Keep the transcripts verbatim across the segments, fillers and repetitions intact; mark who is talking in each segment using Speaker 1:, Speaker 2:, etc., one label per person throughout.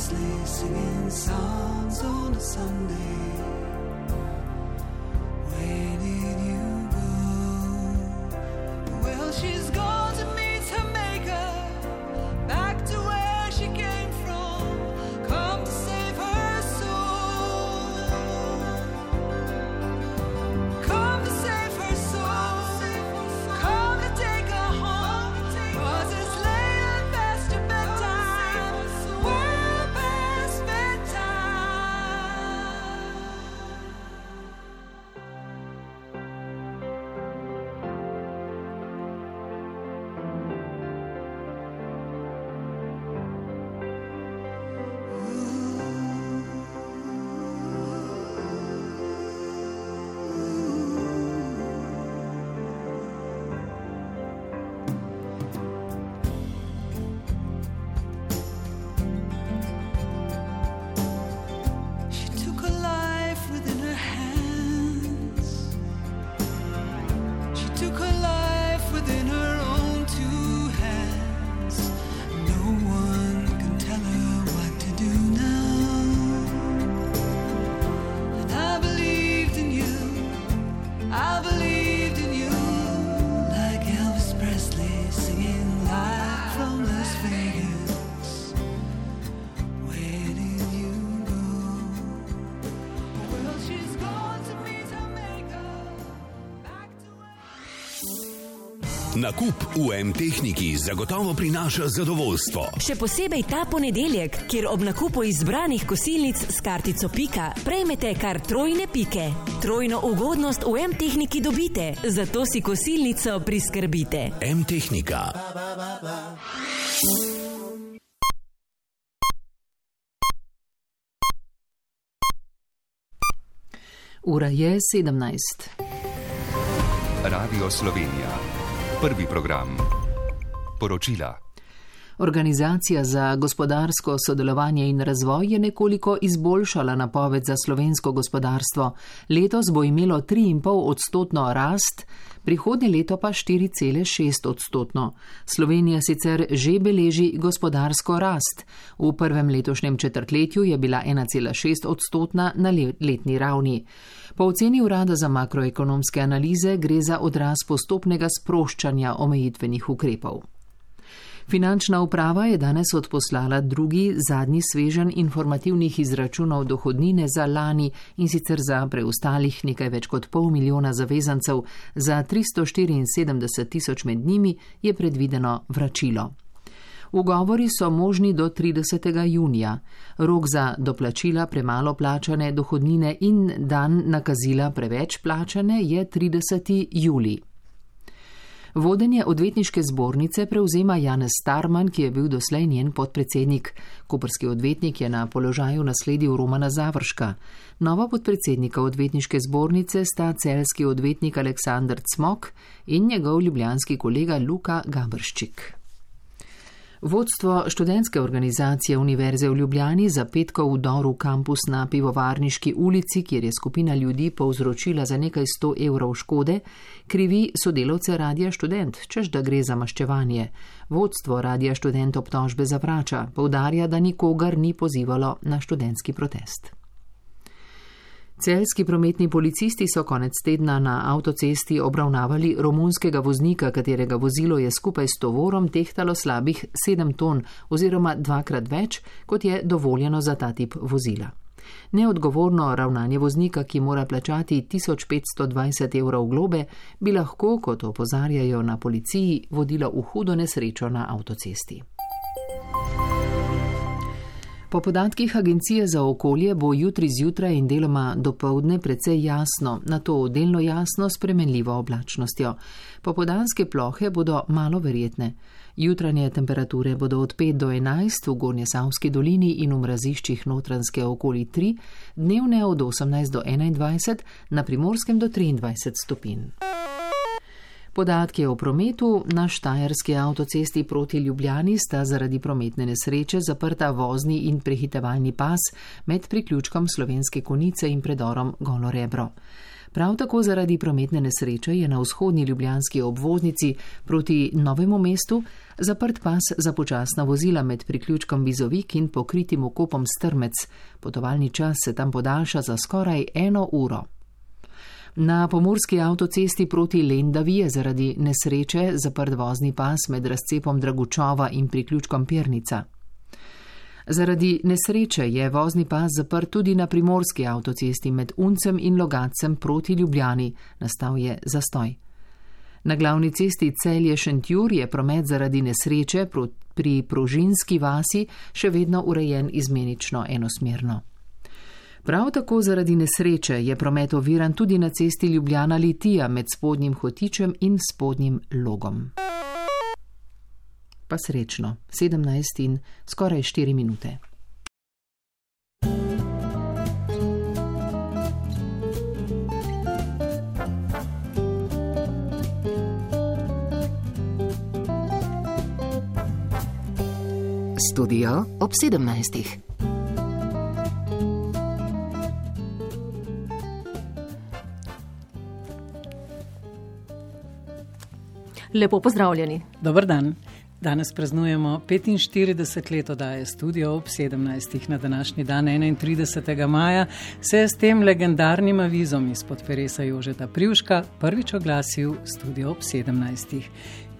Speaker 1: Presley singing songs on a Sunday. Where did you go? Well, she's gone to meet her maker, back to where she came from, come to save her soul, come to save her soul, come to take her home, 'cause it's late and past your bedtime, well past bedtime. She took her life within her hands. She took her life within her own two hands. No one can tell her what to do now. And I believed in you, I believed in you, like Elvis Presley singing live from Las Vegas. Where did you go? Well, she's gone to meet her maker, back to where...
Speaker 2: Nakup v M-tehniki zagotovo prinaša zadovoljstvo.
Speaker 3: Še posebej ta ponedeljek, kjer ob nakupu izbranih kosilnic s kartico Pika prejmete kar trojne pike. Trojno ugodnost v M-tehniki dobite, zato si kosilnico priskrbite.
Speaker 2: M-tehnika.
Speaker 4: Ura je sedemnajst.
Speaker 5: Radio Slovenija. Prvi program. Poročila.
Speaker 4: Organizacija za gospodarsko sodelovanje in razvoj je nekoliko izboljšala napoved za slovensko gospodarstvo. Letos bo imelo tri in pol odstotno rast, prihodnje leto pa štiri cele šest odstotno. Slovenija sicer že beleži gospodarsko rast. V prvem letošnjem četrtletju je bila ena cela šest odstotna na letni ravni. Po oceni Urada za makroekonomske analize gre za odraz postopnega sproščanja omejitvenih ukrepov. Finančna uprava je danes odposlala drugi, zadnji sveženj informativnih izračunov dohodnine za lani, in sicer za preostalih nekaj več kot pol milijona zavezancev, za tristo štiriinsedemdeset tisoč med njimi je predvideno vračilo. Ugovori so možni do tridesetega junija. Rok za doplačila premalo plačane dohodnine in dan nakazila preveč plačane je trideseti julij. Vodenje odvetniške zbornice prevzema Janez Starman, ki je bil doslej njen podpredsednik. Koprski odvetnik je na položaju nasledil Romana Završka. Nova podpredsednika odvetniške zbornice sta celjski odvetnik Aleksander Cmok in njegov ljubljanski kolega Luka Gabrščik. Vodstvo študentske organizacije Univerze v Ljubljani za petkov vdor v kampus na Pivovarniški ulici, kjer je skupina ljudi povzročila za nekaj sto evrov škode, krivi sodelavce Radia Študent, češ da gre za maščevanje. Vodstvo Radia Študent obtožbe zavrača, poudarja, da nikogar ni pozivalo na študentski protest. Celjski prometni policisti so konec tedna na avtocesti obravnavali romunskega voznika, katerega vozilo je skupaj s tovorom tehtalo slabih sedem ton oziroma dvakrat več, kot je dovoljeno za ta tip vozila. Neodgovorno ravnanje voznika, ki mora plačati tisoč petsto dvajset evrov globe, bi lahko, kot opozarjajo na policiji, vodilo v hudo nesrečo na avtocesti. Po podatkih Agencije za okolje bo jutri zjutraj in deloma dopoldne precej jasno, nato delno jasno s spremenljivo oblačnostjo. Popoldanske plohe bodo malo verjetne. Jutranje temperature bodo od pet do enajst v Gornjesavski dolini in v mraziščih Notranjske okoli tri, dnevne od osemnajst do enaindvajset, na Primorskem do triindvajset stopinj. Podatki o prometu. Na štajerski avtocesti proti Ljubljani sta zaradi prometne nesreče zaprta vozni in prehitevalni pas med priključkom Slovenske Konjice in predorom Golo Rebro. Prav tako zaradi prometne nesreče je na vzhodni ljubljanski obvoznici proti Novemu mestu zaprt pas za počasna vozila med priključkom Bizovik in pokritim vkopom Strmec. Potovalni čas se tam podaljša za skoraj eno uro. Na pomurski avtocesti proti Lendavi je zaradi nesreče zaprt vozni pas med razcepom Dragučova in priključkom Pernica. Zaradi nesreče je vozni pas zaprt tudi na primorski avtocesti med Uncem in Logatcem proti Ljubljani. Nastal je zastoj. Na glavni cesti Celje-Šentjur je promet zaradi nesreče pri Prožinski vasi še vedno urejen izmenično enosmerno. Prav tako zaradi nesreče je promet oviran tudi na cesti Ljubljana-Litija med Spodnjim Hotičem in Spodnjim Logom. Pa srečno, sedemnajst in skoraj štiri minute.
Speaker 6: Studio ob sedemnajstih.
Speaker 7: Lepo pozdravljeni.
Speaker 8: Dober dan. Danes praznujemo petinštirideset let oddaje Studio ob sedemnajstih. Na današnji dan, enaintridesetega maja, se je s tem legendarnim avizom izpod peresa Jožeta Privška prvič oglasil Studio ob sedemnajstih.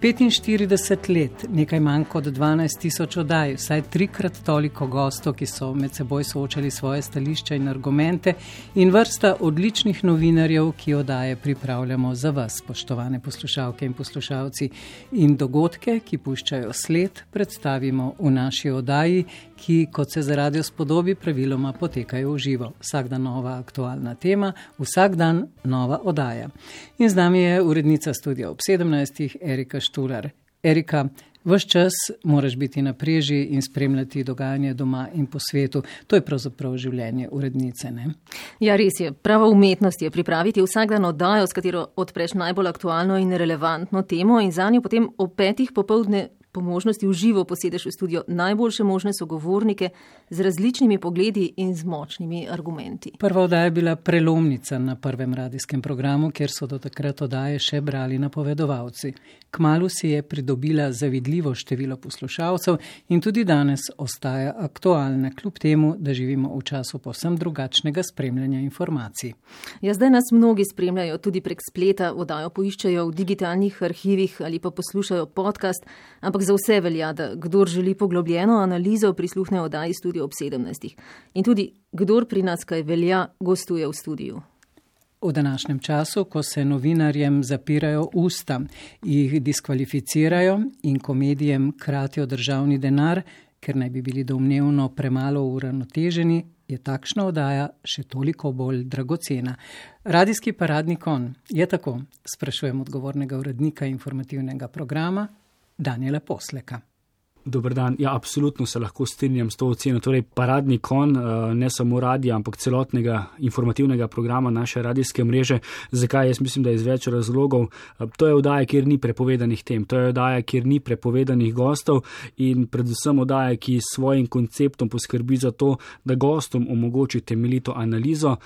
Speaker 8: petinštirideset let, nekaj manj kot dvanajst tisoč oddaj, vsaj trikrat toliko gostov, ki so med seboj soočali svoje stališča in argumente, in vrsta odličnih novinarjev, ki oddaje pripravljamo za vas, spoštovane poslušalke in poslušalci. In dogodke, ki puščajo sled, predstavimo v naši oddaji, ki, kot se za radio spodobi, praviloma potekajo v živo. Vsak dan nova aktualna tema, vsak dan nova oddaja. In z nami je urednica Studia ob sedemnajstih, Erika Štular. Erika, ves čas moraš biti na preži in spremljati dogajanje doma in po svetu. To je pravzaprav življenje urednice, ne?
Speaker 7: Ja, res je. Prava umetnost je pripraviti vsak dan oddajo, s katero odpreš najbolj aktualno in relevantno temo in zanjo potem ob petih popoldne po možnosti v živo posedeš v studio najboljše možne sogovornike z različnimi pogledi in z močnimi argumenti.
Speaker 8: Prva oddaja je bila prelomnica na prvem radijskem programu, kjer so do takrat oddaje še brali napovedovalci. Kmalu si je pridobila zavidljivo število poslušalcev in tudi danes ostaja aktualna, kljub temu, da živimo v času povsem drugačnega spremljanja informacij.
Speaker 7: Ja, zdaj nas mnogi spremljajo tudi prek spleta, oddajo poiščejo v digitalnih arhivih ali pa poslušajo podcast, ampak za vse velja, da kdor želi poglobljeno analizo, prisluhne oddaji Studio ob sedemnajstih. In tudi kdor pri nas kaj velja, gostuje v studiu.
Speaker 8: V današnjem času, ko se novinarjem zapirajo usta, jih diskvalificirajo in komedijem kratijo državni denar, ker naj bi bili domnevno premalo uravnoteženi, je takšna oddaja še toliko bolj dragocena. Radijski paradni konj je tako, sprašujem odgovornega urednika informativnega programa, Danijela Posleka.
Speaker 9: Dober dan. Ja, absolutno se lahko strinjam s to oceno. Torej, paradni konj ne samo radija, ampak celotnega informativnega programa naše radijske mreže. Zakaj? Jaz mislim, da je iz več razlogov. To je oddaja, kjer ni prepovedanih tem. To je oddaja, kjer ni prepovedanih gostov in predvsem oddaja, ki s svojim konceptom poskrbi za to, da gostom omogoči temeljito analizo,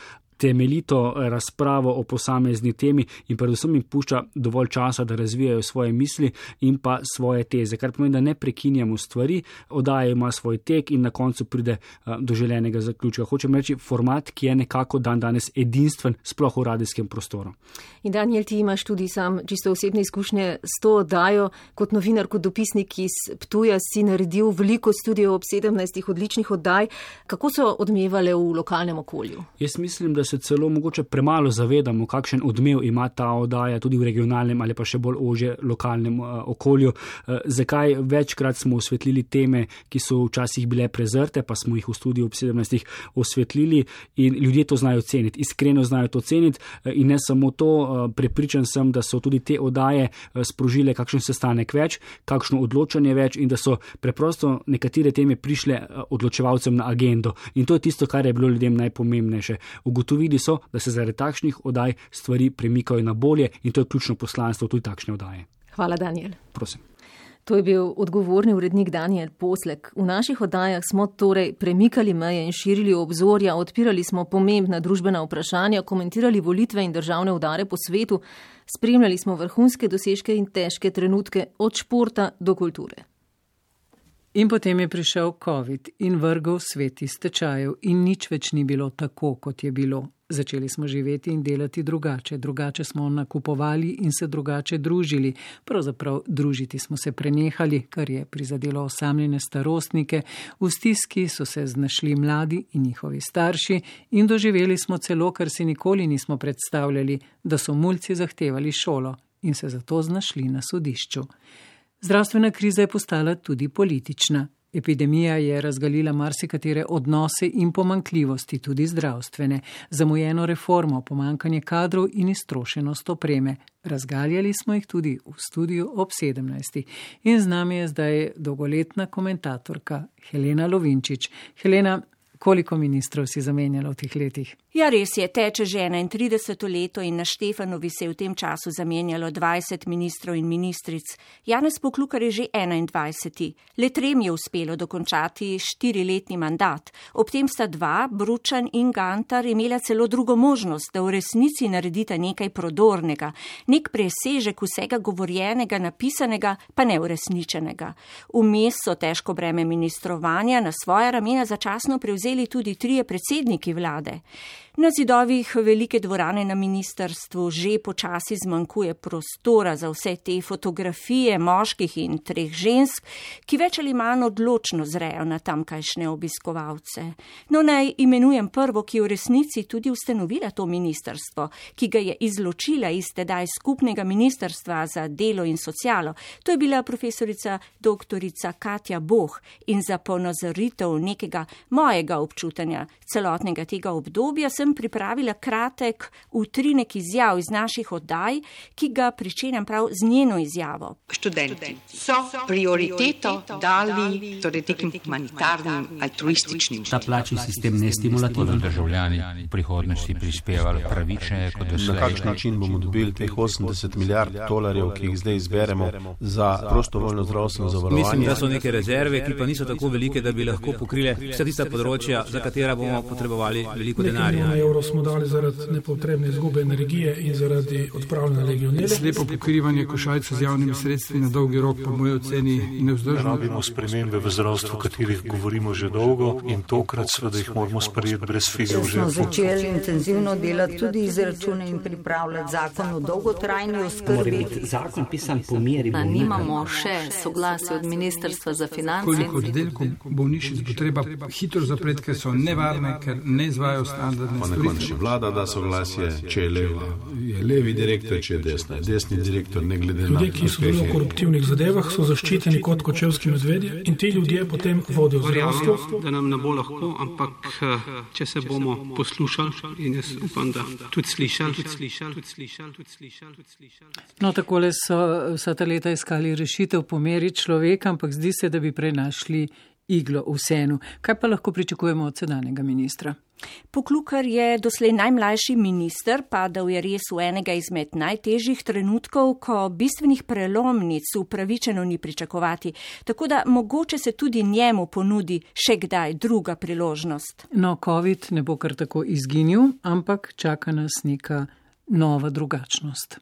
Speaker 9: temeljito razpravo o posamezni temi in predvsem jim pušča dovolj časa, da razvijajo svoje misli in pa svoje teze, kar pomeni, da ne prekinjamo stvari, oddaja ima svoj tek in na koncu pride do želenega zaključka. Hočem reči, format, ki je nekako dan danes edinstven, sploh v radijskem prostoru.
Speaker 7: In Danijel, ti imaš tudi sam čisto osebne izkušnje s to oddajo, kot novinar, kot dopisnik iz Ptuja si naredil veliko Studio ob sedemnajstih odličnih oddaj. Kako so odmevale v lokalnem okolju?
Speaker 9: Jaz mislim, da se celo mogoče premalo zavedamo, kakšen odmev ima ta oddaja tudi v regionalnem ali pa še bolj ožje lokalnem uh, okolju. Uh, zakaj? Večkrat smo osvetlili teme, ki so včasih bile prezrte, pa smo jih v Studiu ob sedemnajstih osvetlili in ljudje to znajo ceniti, iskreno znajo to ceniti uh, in ne samo to, uh, prepričan sem, da so tudi te oddaje uh, sprožile kakšen sestanek več, kakšno odločanje več in da so preprosto nekatere teme prišle uh, odločevalcem na agendo. In to je tisto, kar je bilo ljudem najpomembnejše. Ugotovili so, da se zaradi takšnih oddaj stvari premikajo na bolje in to je ključno poslanstvo tudi takšne oddaje.
Speaker 7: Hvala, Danijel.
Speaker 9: Prosim.
Speaker 7: To je bil odgovorni urednik Daniel Poslek. V naših oddajah smo torej premikali meje in širili obzorja, odpirali smo pomembna družbena vprašanja, komentirali volitve in državne udare po svetu, spremljali smo vrhunske dosežke in težke trenutke od športa do kulture.
Speaker 8: In potem je prišel COVID in vrgel svet iz tečajev in nič več ni bilo tako, kot je bilo. Začeli smo živeti in delati drugače, drugače smo nakupovali in se drugače družili. Pravzaprav družiti smo se prenehali, kar je prizadelo osamljene starostnike. V stiski so se znašli mladi in njihovi starši in doživeli smo celo, kar si nikoli nismo predstavljali, da so mulci zahtevali šolo in se zato znašli na sodišču. Zdravstvena kriza je postala tudi politična. Epidemija je razgalila marsikatere odnose in pomanjkljivosti, tudi zdravstvene, zamujeno reformo, pomanjkanje kadrov in iztrošenost opreme. Razgaljali smo jih tudi v studiu ob sedemnajstih. In z nami je zdaj dolgoletna komentatorka Helena Lovinčič. Helena, koliko ministrov si zamenjala v teh letih?
Speaker 6: Ja, res je, teče že enaintrideseto leto in na Štefanovi se je v tem času zamenjalo dvajset ministrov in ministric. Janez Poklukar je že enaindvajseti. Le trem je uspelo dokončati štiriletni mandat. Ob tem sta dva, Bručan in Gantar, imela celo drugo možnost, da v resnici naredita nekaj prodornega, nek presežek vsega govorjenega, napisanega, pa neuresničenega. Vmes so težko breme ministrovanja na svoja ramena začasno prevzeli tudi trije predsedniki vlade. Na zidovih velike dvorane na ministrstvu že počasi zmanjkuje prostora za vse te fotografije moških in treh žensk, ki več ali manj odločno zrejo na tamkajšnje obiskovalce. No, naj imenujem prvo, ki je v resnici tudi ustanovila to ministrstvo, ki ga je izločila iz tedaj skupnega ministrstva za delo in socialo. To je bila profesorica doktorica Katja Boh in za ponazoritev nekega mojega občutanja celotnega tega obdobja sem pripravila kratek utrinek izjav iz naših oddaj, ki ga pričenjam prav z njeno izjavo.
Speaker 10: Študenti so prioriteto dali torej nekim humanitarnim, altruističnim.
Speaker 11: Ta plačni sistem ne stimulativen.
Speaker 12: Državljani v prihodnosti prispevali pravične kot doslej.
Speaker 13: Na kakšen način bomo dobili teh osemdeset milijard dolarjev, ki jih zdaj izberemo za prostovoljno zdravstveno zavarovanje?
Speaker 11: Mislim, da so neke rezerve, ki pa niso tako velike, da bi lahko pokrile vsa tista področja, za katera bomo potrebovali veliko denarja.
Speaker 14: Evrov smo dali zaradi nepotrebne izgube energije in zaradi odpravljanja legionele.
Speaker 15: Slepo pokrivanje košarice z javnimi sredstvi na dolgi rok po moji oceni nevzdržno.
Speaker 16: Rabimo spremembe v zdravstvu, o katerih govorimo že dolgo in tokrat seveda jih moramo sprejeti brez fige v žepu.
Speaker 17: Smo začeli intenzivno delati tudi izračune in pripravljati zakon o dolgotrajni oskrbi.
Speaker 11: Mora biti zakon pisan po meri bolnika.
Speaker 18: Nimamo še soglasje od Ministrstva za finance.
Speaker 15: Koliko oddelkov bolnišnic bo treba hitro zapreti, ker so nevarne, ker ne izvajajo standardne
Speaker 13: pa na koncu vlada da soglasje, če je leva, je levi direktor, če je desna, desni direktor, ne glede na.
Speaker 14: Ljudje, ki so bili v koruptivnih zadevah, so zaščiteni kot kočevski medvedje in ti ljudje potem vodijo zdravstvo.
Speaker 19: Da nam ne bo lahko, ampak če se bomo poslušali in jaz upam, da tudi slišali, tudi slišali, tudi slišali, tudi slišali, tudi slišali.
Speaker 8: No, takole so vsa ta leta iskali rešitev po meri človeka, ampak zdi se, da bi prej našli iglo v senu. Kaj pa lahko pričakujemo od sedanjega ministra?
Speaker 6: Poklukar je doslej najmlajši minister, padal je res v enega izmed najtežjih trenutkov, ko bistvenih prelomnic upravičeno ni pričakovati, tako da mogoče se tudi njemu ponudi še kdaj druga priložnost.
Speaker 8: No, COVID ne bo kar tako izginil, ampak čaka nas neka nova drugačnost.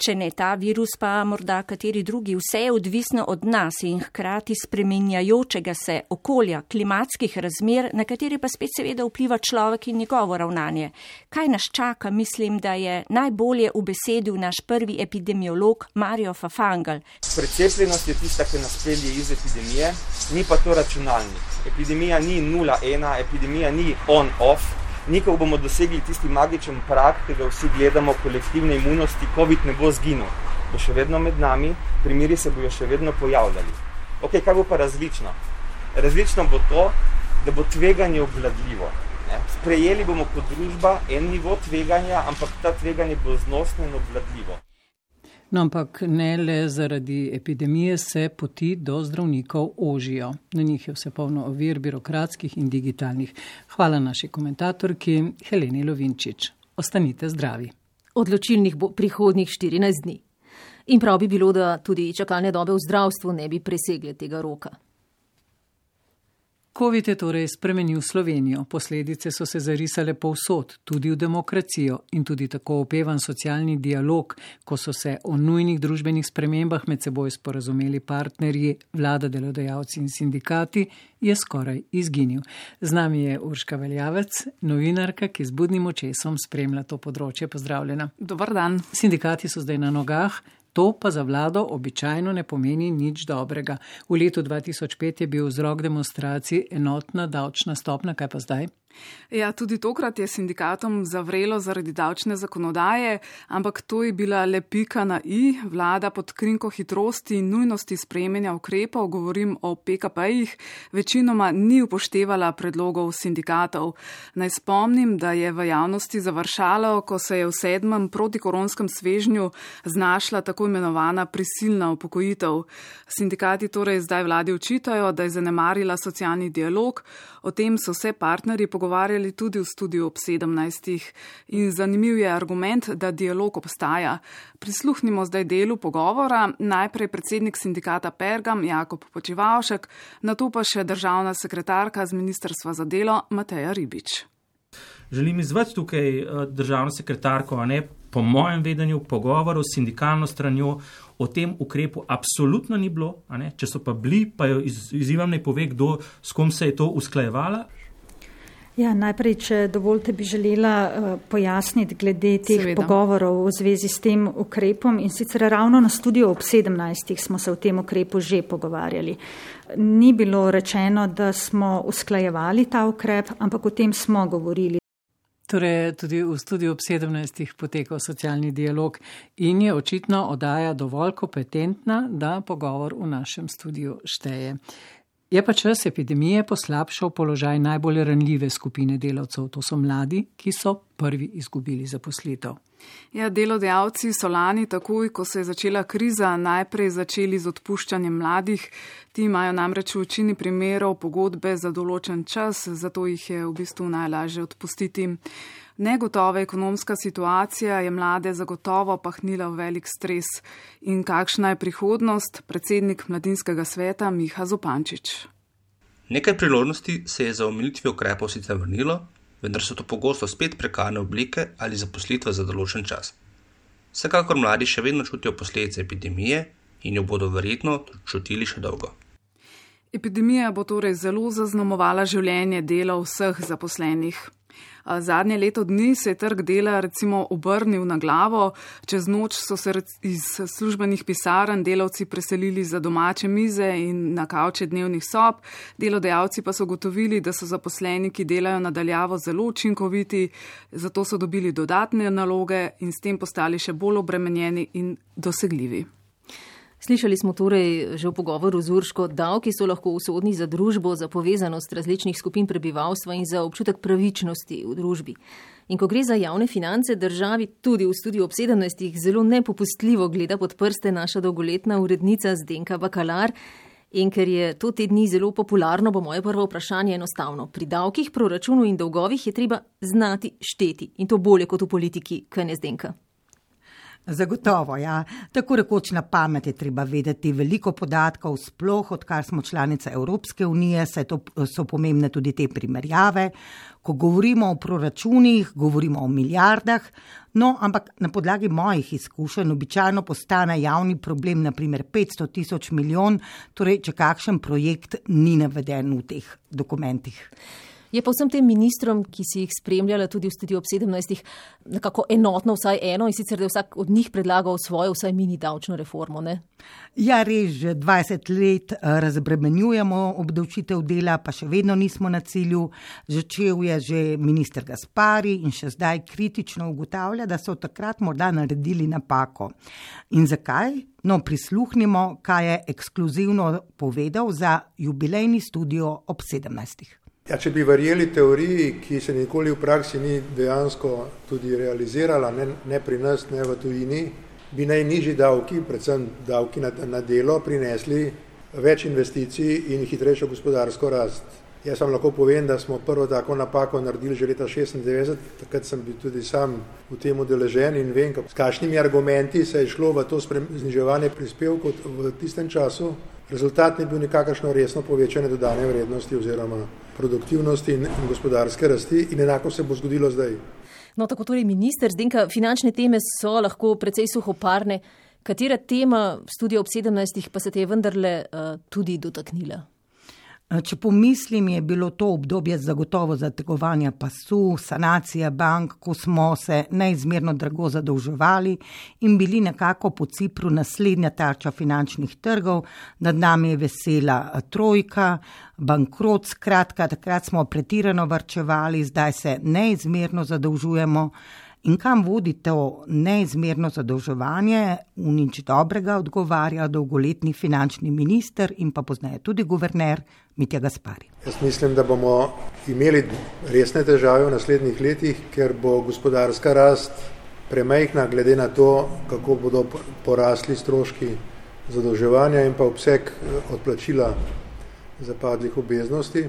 Speaker 6: Če ne ta virus, pa morda kateri drugi, vse je odvisno od nas in hkrati spreminjajočega se okolja, klimatskih razmer, na katere pa spet seveda vpliva človek in njegovo ravnanje. Kaj nas čaka, mislim, da je najbolje ubesedil naš prvi epidemiolog Mario Fafangel.
Speaker 20: Precepljenost je tista, ki nas pelje iz epidemije, ni pa to računalnik. Epidemija ni nula ena, epidemija ni on-off. Nikoli bomo dosegli tisti magičen prag, ki ga vsi gledamo, kolektivne imunosti, COVID ne bo zginil. Bo še vedno med nami, primeri se bojo še vedno pojavljali. Ok, kaj bo pa različno? Različno bo to, da bo tveganje obvladljivo. Ne? Sprejeli bomo kot družba en nivo tveganja, ampak ta tveganje bo znosno in obvladljivo.
Speaker 8: No, ampak ne le zaradi epidemije se poti do zdravnikov ožijo. Na njih je vse polno ovir, birokratskih in digitalnih. Hvala naši komentatorki Heleni Lovinčič. Ostanite zdravi.
Speaker 7: Odločilnih bo prihodnjih štirinajst dni. In prav bi bilo, da tudi čakalne dobe v zdravstvu ne bi presegle tega roka.
Speaker 8: Covid je torej spremenil Slovenijo. Posledice so se zarisale povsod, tudi v demokracijo in tudi tako opevan socialni dialog, ko so se o nujnih družbenih spremembah med seboj sporazumeli partnerji, vlada, delodajalci in sindikati, je skoraj izginil. Z nami je Urška Veljavec, novinarka, ki z budnim očesom spremlja to področje. Pozdravljena.
Speaker 21: Dobar dan.
Speaker 8: Sindikati so zdaj na nogah. To pa za vlado običajno ne pomeni nič dobrega. V letu dva tisoč pet je bil vzrok demonstracij enotna davčna stopnja, kaj pa zdaj?
Speaker 21: Ja, tudi tokrat je sindikatom zavrelo zaradi davčne zakonodaje, ampak to je bila le pika na i. Vlada pod krinko hitrosti in nujnosti sprejemanja ukrepov, govorim o P K P-jih, večinoma ni upoštevala predlogov sindikatov. Naj spomnim, da je v javnosti završalo, ko se je v sedmem protikoronskem svežnju znašla tako imenovana prisilna upokojitev. Sindikati torej zdaj vladi očitajo, da je zanemarila socialni dialog. O tem so se partnerji pogovarjali tudi v studiu ob sedemnajstih. In zanimiv je argument, da dialog obstaja. Prisluhnimo zdaj delu pogovora. Najprej predsednik sindikata Pergam Jakob Počivavšek, nato pa še državna sekretarka z Ministrstva za delo Mateja Ribič.
Speaker 22: Želim izvati tukaj državno sekretarko, a ne po mojem vedenju pogovoru s sindikalno stranjo o tem ukrepu absolutno ni bilo, a ne? Če so pa bili, pa jo iz, izzivam ne pove, kdo s kom se je to usklajevala.
Speaker 23: Ja, najprej, če dovolite, bi želela uh, pojasniti glede teh Seveda. pogovorov v zvezi s tem ukrepom in sicer ravno na studiu ob sedemnajstih smo se o tem ukrepu že pogovarjali. Ni bilo rečeno, da smo usklajevali ta ukrep, ampak o tem smo govorili.
Speaker 8: Torej, tudi v studiu ob sedemnajstih potekal socialni dialog in je očitno oddaja dovolj kompetentna, da pogovor v našem studiu šteje. Je pa čas epidemije poslabšal položaj najbolj ranljive skupine delavcev, to so mladi, ki so prvi izgubili zaposlitev.
Speaker 21: Ja, delodajalci so lani takoj, ko se je začela kriza, najprej začeli z odpuščanjem mladih. Ti imajo namreč v večini primerov pogodbe za določen čas, zato jih je v bistvu najlažje odpustiti. Negotova ekonomska situacija je mlade zagotovo pahnila v velik stres. In kakšna je prihodnost? Predsednik Mladinskega sveta Miha Zupančič.
Speaker 24: Nekaj priložnosti se je za omilitvijo ukrepov sicer vrnilo, vendar so to pogosto spet prekarne oblike ali zaposlitve za določen čas. Vsekakor mladi še vedno čutijo posledice epidemije in jo bodo verjetno čutili še dolgo.
Speaker 21: Epidemija bo torej zelo zaznamovala življenje dela vseh zaposlenih. Zadnje leto dni se je trg dela recimo obrnil na glavo. Čez noč so se iz službenih pisarn delavci preselili za domače mize in na kavče dnevnih sob. Delodajalci pa so gotovili, da so zaposleni, ki delajo nadaljavo, zelo učinkoviti, zato so dobili dodatne naloge in s tem postali še bolj obremenjeni in dosegljivi.
Speaker 7: Slišali smo torej že v pogovoru z Urško, davki so lahko usodni za družbo, za povezanost različnih skupin prebivalstva in za občutek pravičnosti v družbi. In ko gre za javne finance, državi tudi v studiu ob sedemnajstih zelo nepopustljivo gleda pod prste naša dolgoletna urednica Zdenka Bakalar. In ker je to te dni zelo popularno, bo moje prvo vprašanje enostavno. Pri davkih, proračunu in dolgovih je treba znati šteti. In to bolje kot v politiki, kaj ne Zdenka?
Speaker 25: Zagotovo, ja. Tako rekoč na pamet je treba vedeti veliko podatkov, sploh odkar smo članica Evropske unije, saj to so pomembne tudi te primerjave. Ko govorimo o proračunih, govorimo o milijardah, no, ampak na podlagi mojih izkušenj običajno postane javni problem naprimer petsto tisoč milijon, torej če kakšen projekt ni naveden v teh dokumentih.
Speaker 7: Je pa vsem tem ministrom, ki si jih spremljala tudi v studiu ob sedemnajstih, nekako enotno vsaj eno in sicer, da je vsak od njih predlagal svojo vsaj mini davčno reformo, ne?
Speaker 25: Ja, res, že dvajset let razbremenjujemo obdavčitev dela, pa še vedno nismo na cilju. Začel je že minister Gaspari in še zdaj kritično ugotavlja, da so takrat morda naredili napako. In zakaj? No, prisluhnimo, kaj je ekskluzivno povedal za jubilejni studio ob sedemnajstih.
Speaker 26: Ja, če bi verjeli teoriji, ki se nikoli v praksi ni dejansko tudi realizirala, ne, ne pri nas, ne v tujini, bi najnižji davki, predvsem davki na, na delo, prinesli več investicij in hitrejšo gospodarsko rast. Jaz vam lahko povem, da smo prvo tako napako naredili že leta šestindevetdeset, takrat sem bil tudi sam v tem udeležen in vem, s kakšnimi argumenti se je šlo v to zniževanje prispevkov v tistem času. Rezultat ni bil nikakršno resno povečanje dodane vrednosti oziroma produktivnosti in gospodarske rasti in enako se bo zgodilo zdaj.
Speaker 7: No, tako torej minister, Zdenka, finančne teme so lahko precej suhoparne. Katera tema Studia ob sedemnajstih pa se te je vendarle uh, tudi dotaknila?
Speaker 25: Če pomislim, je bilo to obdobje zagotovo zategovanja pasu, sanacija bank, ko smo se neizmerno drago zadolževali in bili nekako po Cipru naslednja tarča finančnih trgov. Nad nami je vesela trojka, bankrot, skratka, takrat smo pretirano varčevali, zdaj se neizmerno zadolžujemo. In kam vodi to neizmerno zadolževanje, v nič dobrega odgovarja dolgoletni finančni minister in pa pozneje tudi guverner Mitja Gaspari.
Speaker 26: Jaz mislim, da bomo imeli resne težave v naslednjih letih, ker bo gospodarska rast premajhna glede na to, kako bodo porasli stroški zadolževanja in pa obseg odplačila zapadlih obveznosti.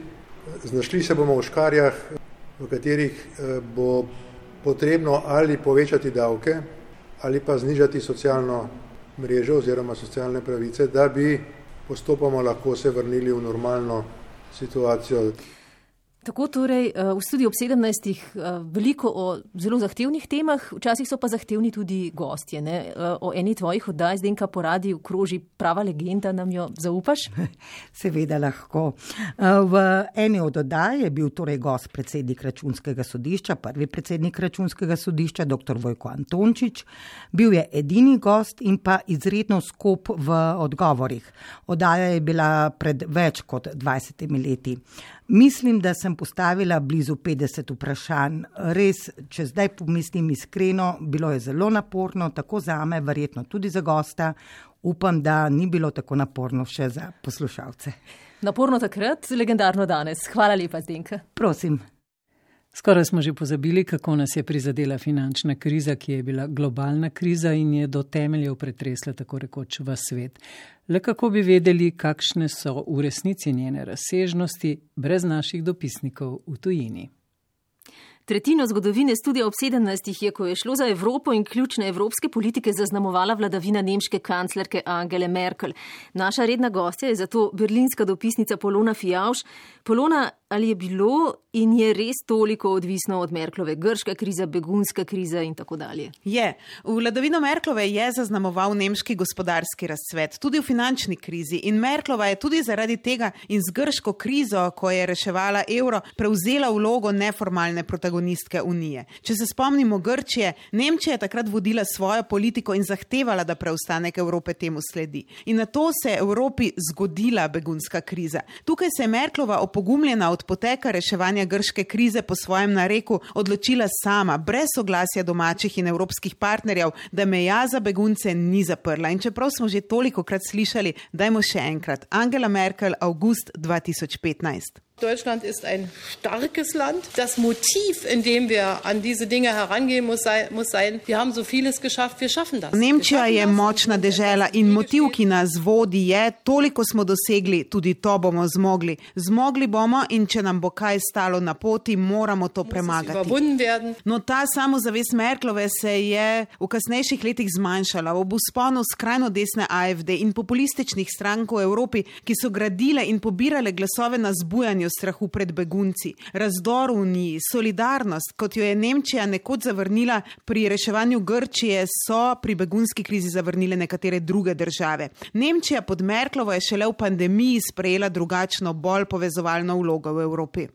Speaker 26: Znašli se bomo v škarjah, v katerih bo potrebno ali povečati davke ali pa znižati socialno mrežo oziroma socialne pravice, da bi postopoma lahko se vrnili v normalno situacijo.
Speaker 7: Tako torej v Studiu ob sedemnajstih veliko o zelo zahtevnih temah, včasih so pa zahtevni tudi gostje. Ne? O eni tvojih oddaj, Zdenka, po radiju kroži prava legenda, nam jo zaupaš?
Speaker 25: Seveda lahko. V eni od oddaj je bil torej gost predsednik Računskega sodišča, prvi predsednik Računskega sodišča, doktor Vojko Antončič. Bil je edini gost in pa izredno skop v odgovorih. Oddaja je bila pred več kot dvajsetimi leti. Mislim, da sem postavila blizu petdeset vprašanj. Res, če zdaj pomislim iskreno, bilo je zelo naporno, tako zame, verjetno tudi za gosta. Upam, da ni bilo tako naporno še za poslušalce.
Speaker 7: Naporno takrat, legendarno danes. Hvala lepa, Zdenka.
Speaker 25: Prosim.
Speaker 8: Skoraj smo že pozabili, kako nas je prizadela finančna kriza, ki je bila globalna kriza in je do temeljev pretresla tako rekoč v svet. Le kako bi vedeli, kakšne so v resnici njene razsežnosti brez naših dopisnikov v tujini.
Speaker 7: Tretjino zgodovine Studia ob sedemnajstih je, ko je šlo za Evropo in ključne evropske politike, zaznamovala vladavina nemške kanclerke Angele Merkel. Naša redna gostja je zato berlinska dopisnica Polona Fijavž. Polona, ali je bilo in je res toliko odvisno od Merklove grška kriza, begunska kriza in tako dalje?
Speaker 1: Je. Vladavino Merklove je zaznamoval nemški gospodarski razcvet, tudi v finančni krizi. In Merklova je tudi zaradi tega in z grško krizo, ko je reševala evro, prevzela vlogo neformalne protagonistke Unije. Če se spomnimo Grčije, Nemčija je takrat vodila svojo politiko in zahtevala, da preostanek Evrope temu sledi. In na to se je Evropi zgodila begunska kriza. Tukaj se je Merklova opogumljena od poteka reševanja grške krize po svojem nareku odločila sama, brez soglasja domačih in evropskih partnerjev, da meja za begunce ni zaprla. In čeprav smo že tolikokrat slišali, dajmo še enkrat. Angela Merkel, avgust dva tisoč petnajst.
Speaker 2: Deutschland ist ein starkes Land. Das Motiv, in dem wir an diese Dinge herangehen, muss sein, muss sein, wir haben so vieles geschafft, wir schaffen das.
Speaker 1: Nemčija je močna dežela in motiv, ki nas vodi, je, toliko smo dosegli, tudi to bomo zmogli. Zmogli bomo in če nam bo kaj stalo na poti, moramo to premagati. No, ta samozavest Merklove se je v kasnejših letih zmanjšala. Ob vzponu skrajno desne A F D in populističnih strank v Evropi, ki so gradile in pobirale glasove na zbujanju strahu pred begunci, razdor v Uniji, solidarnost, kot jo je Nemčija nekoč zavrnila pri reševanju Grčije, so pri begunski krizi zavrnile nekatere druge države. Nemčija pod Merklovo je šele v pandemiji sprejela drugačno, bolj povezovalno vlogo v Evropi.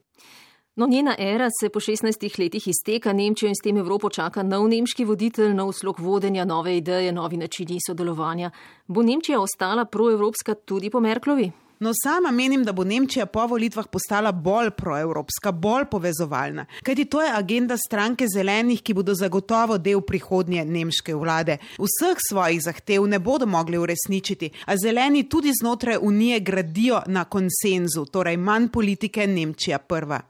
Speaker 7: No, njena era se po šestnajstih letih izteka, Nemčijo in s tem Evropo čaka nov nemški voditelj, nov slog vodenja, nove ideje, novi načini sodelovanja. Bo Nemčija ostala proevropska tudi po Merklovi?
Speaker 1: No, sama menim, da bo Nemčija po volitvah postala bolj proevropska, bolj povezovalna. Kajti to je agenda stranke zelenih, ki bodo zagotovo del prihodnje nemške vlade. Vseh svojih zahtev ne bodo mogli uresničiti, a zeleni tudi znotraj Unije gradijo na konsenzu, torej manj politike, Nemčija prva.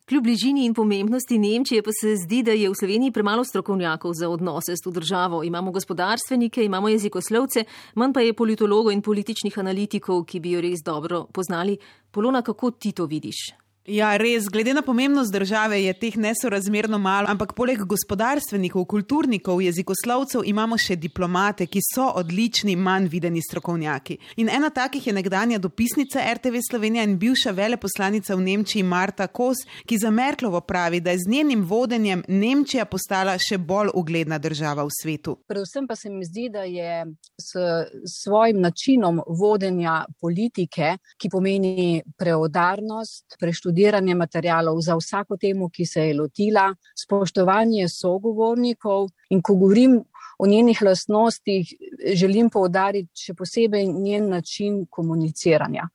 Speaker 7: Kljub bližini in pomembnosti Nemčije pa se zdi, da je v Sloveniji premalo strokovnjakov za odnose s to državo. Imamo gospodarstvenike, imamo jezikoslovce, manj pa je politologov in političnih analitikov, ki bi jo res dobro poznali. Polona, kako ti to vidiš?
Speaker 1: Ja, res, glede na pomembnost države je teh nesorazmerno malo, ampak poleg gospodarstvenikov, kulturnikov, jezikoslovcev imamo še diplomate, ki so odlični, manj videni strokovnjaki. In ena takih je nekdanja dopisnica R T V Slovenija in bivša veleposlanica v Nemčiji Marta Kos, ki za Merklovo pravi, da je z njenim vodenjem Nemčija postala še bolj ugledna država v svetu.
Speaker 3: Predvsem pa se mi zdi, da je s svojim načinom vodenja politike, ki pomeni preudarnost, preštudiranje materialov za vsako temo, ki se je lotila, spoštovanje sogovornikov, in ko govorim o njenih lastnostih, želim poudariti še posebej njen način komuniciranja.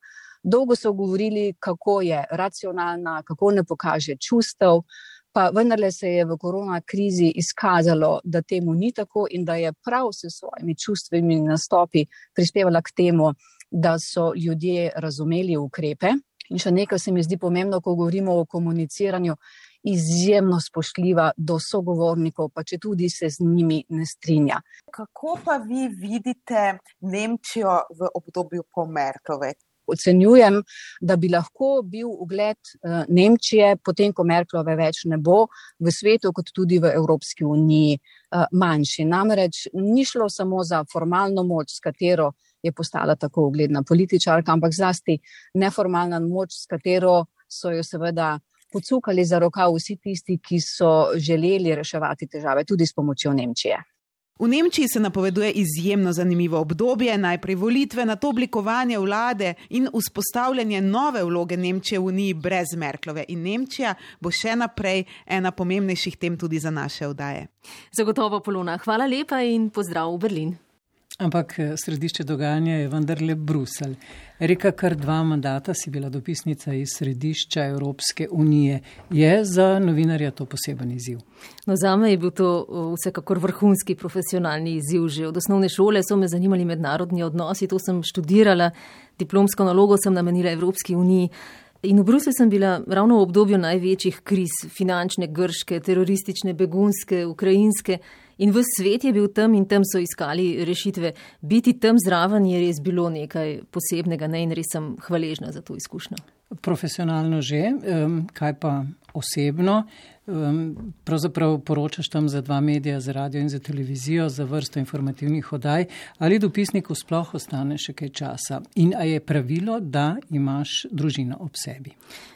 Speaker 3: Dolgo so govorili, kako je racionalna, kako ne pokaže čustev, pa vendarle se je v korona krizi izkazalo, da temu ni tako in da je prav s svojimi čustvimi nastopi prispevala k temu, da so ljudje razumeli ukrepe. In še nekaj se mi zdi pomembno, ko govorimo o komuniciranju, izjemno spoštljiva do sogovornikov, pa če tudi se z njimi ne strinja.
Speaker 4: Kako pa vi vidite Nemčijo v obdobju po Merklove?
Speaker 3: Ocenjujem, da bi lahko bil ugled Nemčije, potem ko Merklove več ne bo, v svetu kot tudi v Evropski uniji manjši. Namreč ni šlo samo za formalno moč, s katero je postala tako ugledna političarka, ampak zlasti neformalna moč, s katero so jo seveda pocukali za rokav vsi tisti, ki so želeli reševati težave, tudi s pomočjo Nemčije.
Speaker 1: V Nemčiji se napoveduje izjemno zanimivo obdobje, najprej volitve, nato oblikovanje vlade in vzpostavljanje nove vloge Nemčije v Uniji brez Merklove. In Nemčija bo še naprej ena pomembnejših tem tudi za naše oddaje.
Speaker 7: Zagotovo, Polona. Hvala lepa in pozdrav v Berlin.
Speaker 8: Ampak središče dogajanja je vendarle Bruselj. Reka, kar dva mandata si bila dopisnica iz središča Evropske unije. Je za novinarja to poseben izziv?
Speaker 7: No, zame je bil to vsekakor vrhunski profesionalni izziv. Že od osnovne šole so me zanimali mednarodni odnosi, to sem študirala, diplomsko nalogo sem namenila Evropski uniji. In v Bruslju sem bila ravno v obdobju največjih kriz, finančne, grške, teroristične, begunske, ukrajinske. In v svet je bil tam in tam so iskali rešitve. Biti tam zraven je res bilo nekaj posebnega, ne, in res sem hvaležna za to izkušnjo.
Speaker 8: Profesionalno že, kaj pa osebno? Pravzaprav poročaš tam za dva medija, za radio in za televizijo, za vrsto informativnih oddaj. Ali dopisniku sploh ostane še kaj časa? In a je pravilo, da imaš družino ob sebi?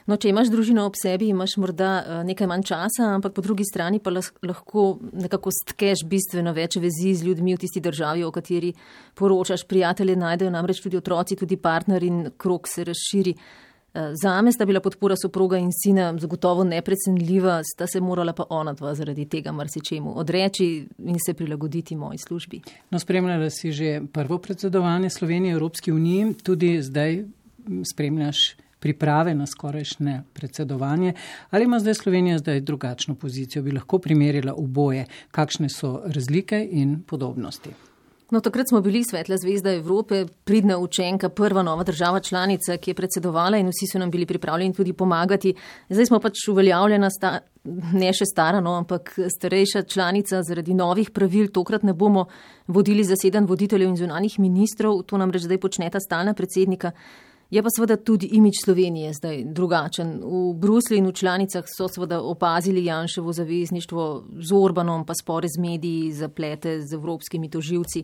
Speaker 7: No, če imaš družino ob sebi, imaš morda nekaj manj časa, ampak po drugi strani pa lahko nekako stkeš bistveno več vezi z ljudmi v tisti državi, o kateri poročaš. Prijatelje najdejo namreč tudi otroci, tudi partner in krog se razširi. Zame sta bila podpora soproga in sina zagotovo neprecenljiva, sta se morala pa ona dva zaradi tega marsičemu odreči in se prilagoditi moji službi.
Speaker 8: No, spremljala si že prvo predsedovanje Slovenije Evropski uniji, tudi zdaj spremljaš priprave na skorajšnje predsedovanje. Ali ima zdaj Slovenija zdaj drugačno pozicijo? Bi lahko primerjala oboje, kakšne so razlike in podobnosti?
Speaker 7: No, takrat smo bili Svetla zvezda Evrope, pridna učenka, prva nova država članica, ki je predsedovala in vsi so nam bili pripravljeni tudi pomagati. Zdaj smo pač uveljavljena, sta, ne še stara, no, ampak starejša članica, zaradi novih pravil. Tokrat ne bomo vodili zasedanj voditeljev in zunanjih ministrov, to namreč zdaj počneta stalna predsednika. Je pa seveda tudi imidž Slovenije zdaj drugačen. V Bruslju in v članicah so seveda opazili Janševo zavezništvo z Orbanom, pa spore z mediji, zaplete z evropskimi tožilci.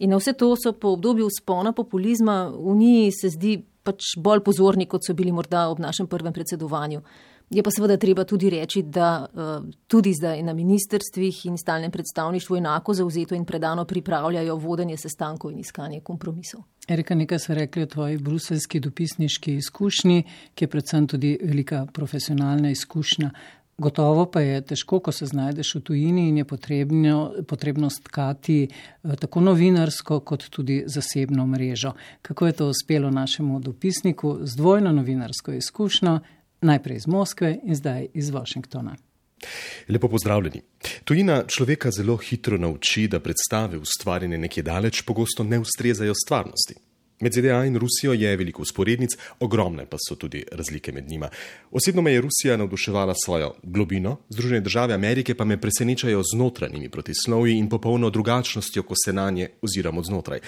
Speaker 7: In na vse to so po obdobju vzpona populizma v Uniji se zdi pač bolj pozorni, kot so bili morda ob našem prvem predsedovanju. Je pa seveda treba tudi reči, da uh, tudi zdaj na ministrstvih in stalnem predstavništvu enako zavzeto in predano pripravljajo vodenje sestankov in iskanje kompromisov.
Speaker 8: Erika, nekaj so rekli o tvoji bruseljski dopisniški izkušnji, ki je predvsem tudi velika profesionalna izkušnja. Gotovo pa je težko, ko se znajdeš v tujini in je potrebno, potrebno stkati uh, tako novinarsko kot tudi zasebno mrežo. Kako je to uspelo našemu dopisniku z dvojno novinarsko izkušnjo? Najprej iz Moskve in zdaj iz Washingtona.
Speaker 5: Lepo pozdravljeni. Tujina človeka zelo hitro nauči, da predstave ustvarjene nekje daleč pogosto ne ustrezajo stvarnosti. Med Z D A in Rusijo je veliko usporednic, ogromne pa so tudi razlike med njima. Osebno me je Rusija navduševala svojo globino, Združene države Amerike pa me presenečajo z notranjimi protislovji in popolno drugačnostjo, ko se na nje oziramo znotraj.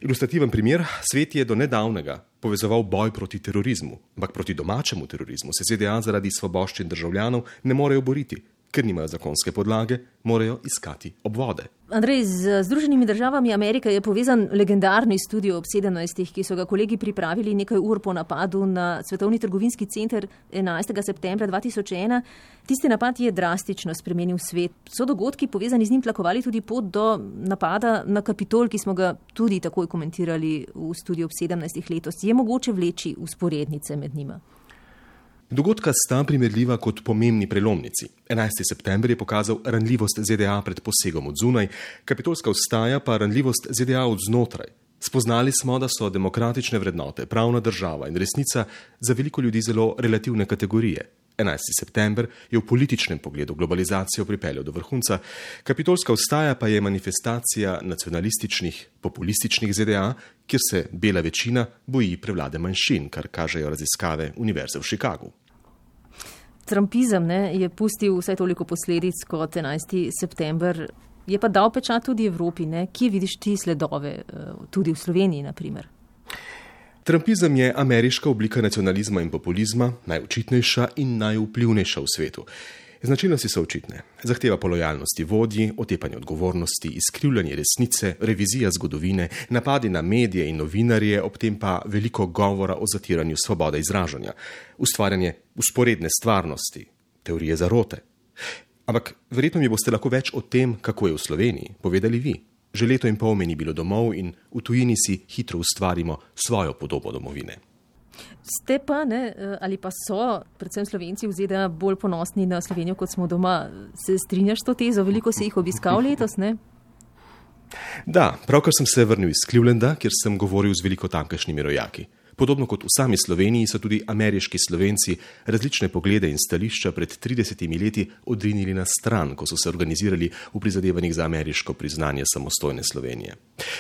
Speaker 5: Ilustrativen primer, svet je do nedavnega povezoval boj proti terorizmu, ampak proti domačemu terorizmu se Z D A zaradi svoboščin državljanov ne morejo boriti. Ker nimajo zakonske podlage, morajo iskati obvode.
Speaker 7: Andrej, z Združenimi državami Amerike je povezan legendarni studio ob sedemnajstih, ki so ga kolegi pripravili nekaj ur po napadu na Svetovni trgovinski center enajstega septembra dva tisoč ena. Tisti napad je drastično spremenil svet. So dogodki povezani z njim tlakovali tudi pot do napada na Kapitol, ki smo ga tudi takoj komentirali v studiu ob sedemnajstih letos. Je mogoče vleči usporednice med njima?
Speaker 5: Dogodka sta primerljiva kot pomembni prelomnici. enajstega septembra je pokazal ranljivost Z D A pred posegom od zunaj, kapitolska vstaja pa ranljivost Z D A od znotraj. Spoznali smo, da so demokratične vrednote, pravna država in resnica za veliko ljudi zelo relativne kategorije. enajstega september je v političnem pogledu globalizacijo pripeljal do vrhunca, kapitolska vstaja pa je manifestacija nacionalističnih, populističnih Z D A, kjer se bela večina boji prevlade manjšin, kar kažejo raziskave Univerze v Chicagu.
Speaker 7: Trumpizem ne, je pustil vsaj toliko posledic kot enajstega september, je pa dal pečat tudi Evropi. Ne? Kje vidiš ti sledove, tudi v Sloveniji, na primer?
Speaker 5: Trumpizem je ameriška oblika nacionalizma in populizma, najočitnejša in najvplivnejša v svetu. Značilnosti so očitne. Zahteva po lojalnosti vodji, otepanje odgovornosti, izkrivljanje resnice, revizija zgodovine, napadi na medije in novinarje, ob tem pa veliko govora o zatiranju svobode izražanja, ustvarjanje usporedne stvarnosti, teorije zarote. Ampak verjetno mi boste lahko več o tem, kako je v Sloveniji, povedali vi. Že leto in pol me ni bilo domov in v tujini si hitro ustvarimo svojo podobo domovine.
Speaker 7: Ste pa, ne, ali pa so, predvsem Slovenci v Z D A, bolj ponosni na Slovenijo, kot smo doma. Se strinjaš s to tezo? Veliko si jih obiskal letos, ne?
Speaker 5: Da, pravkar sem se vrnil iz Clevelanda, kjer sem govoril z veliko tamkajšnjimi rojaki. Podobno kot v sami Sloveniji so tudi ameriški Slovenci različne poglede in stališča pred tridesetimi leti odrinili na stran, ko so se organizirali v prizadevanjih za ameriško priznanje samostojne Slovenije.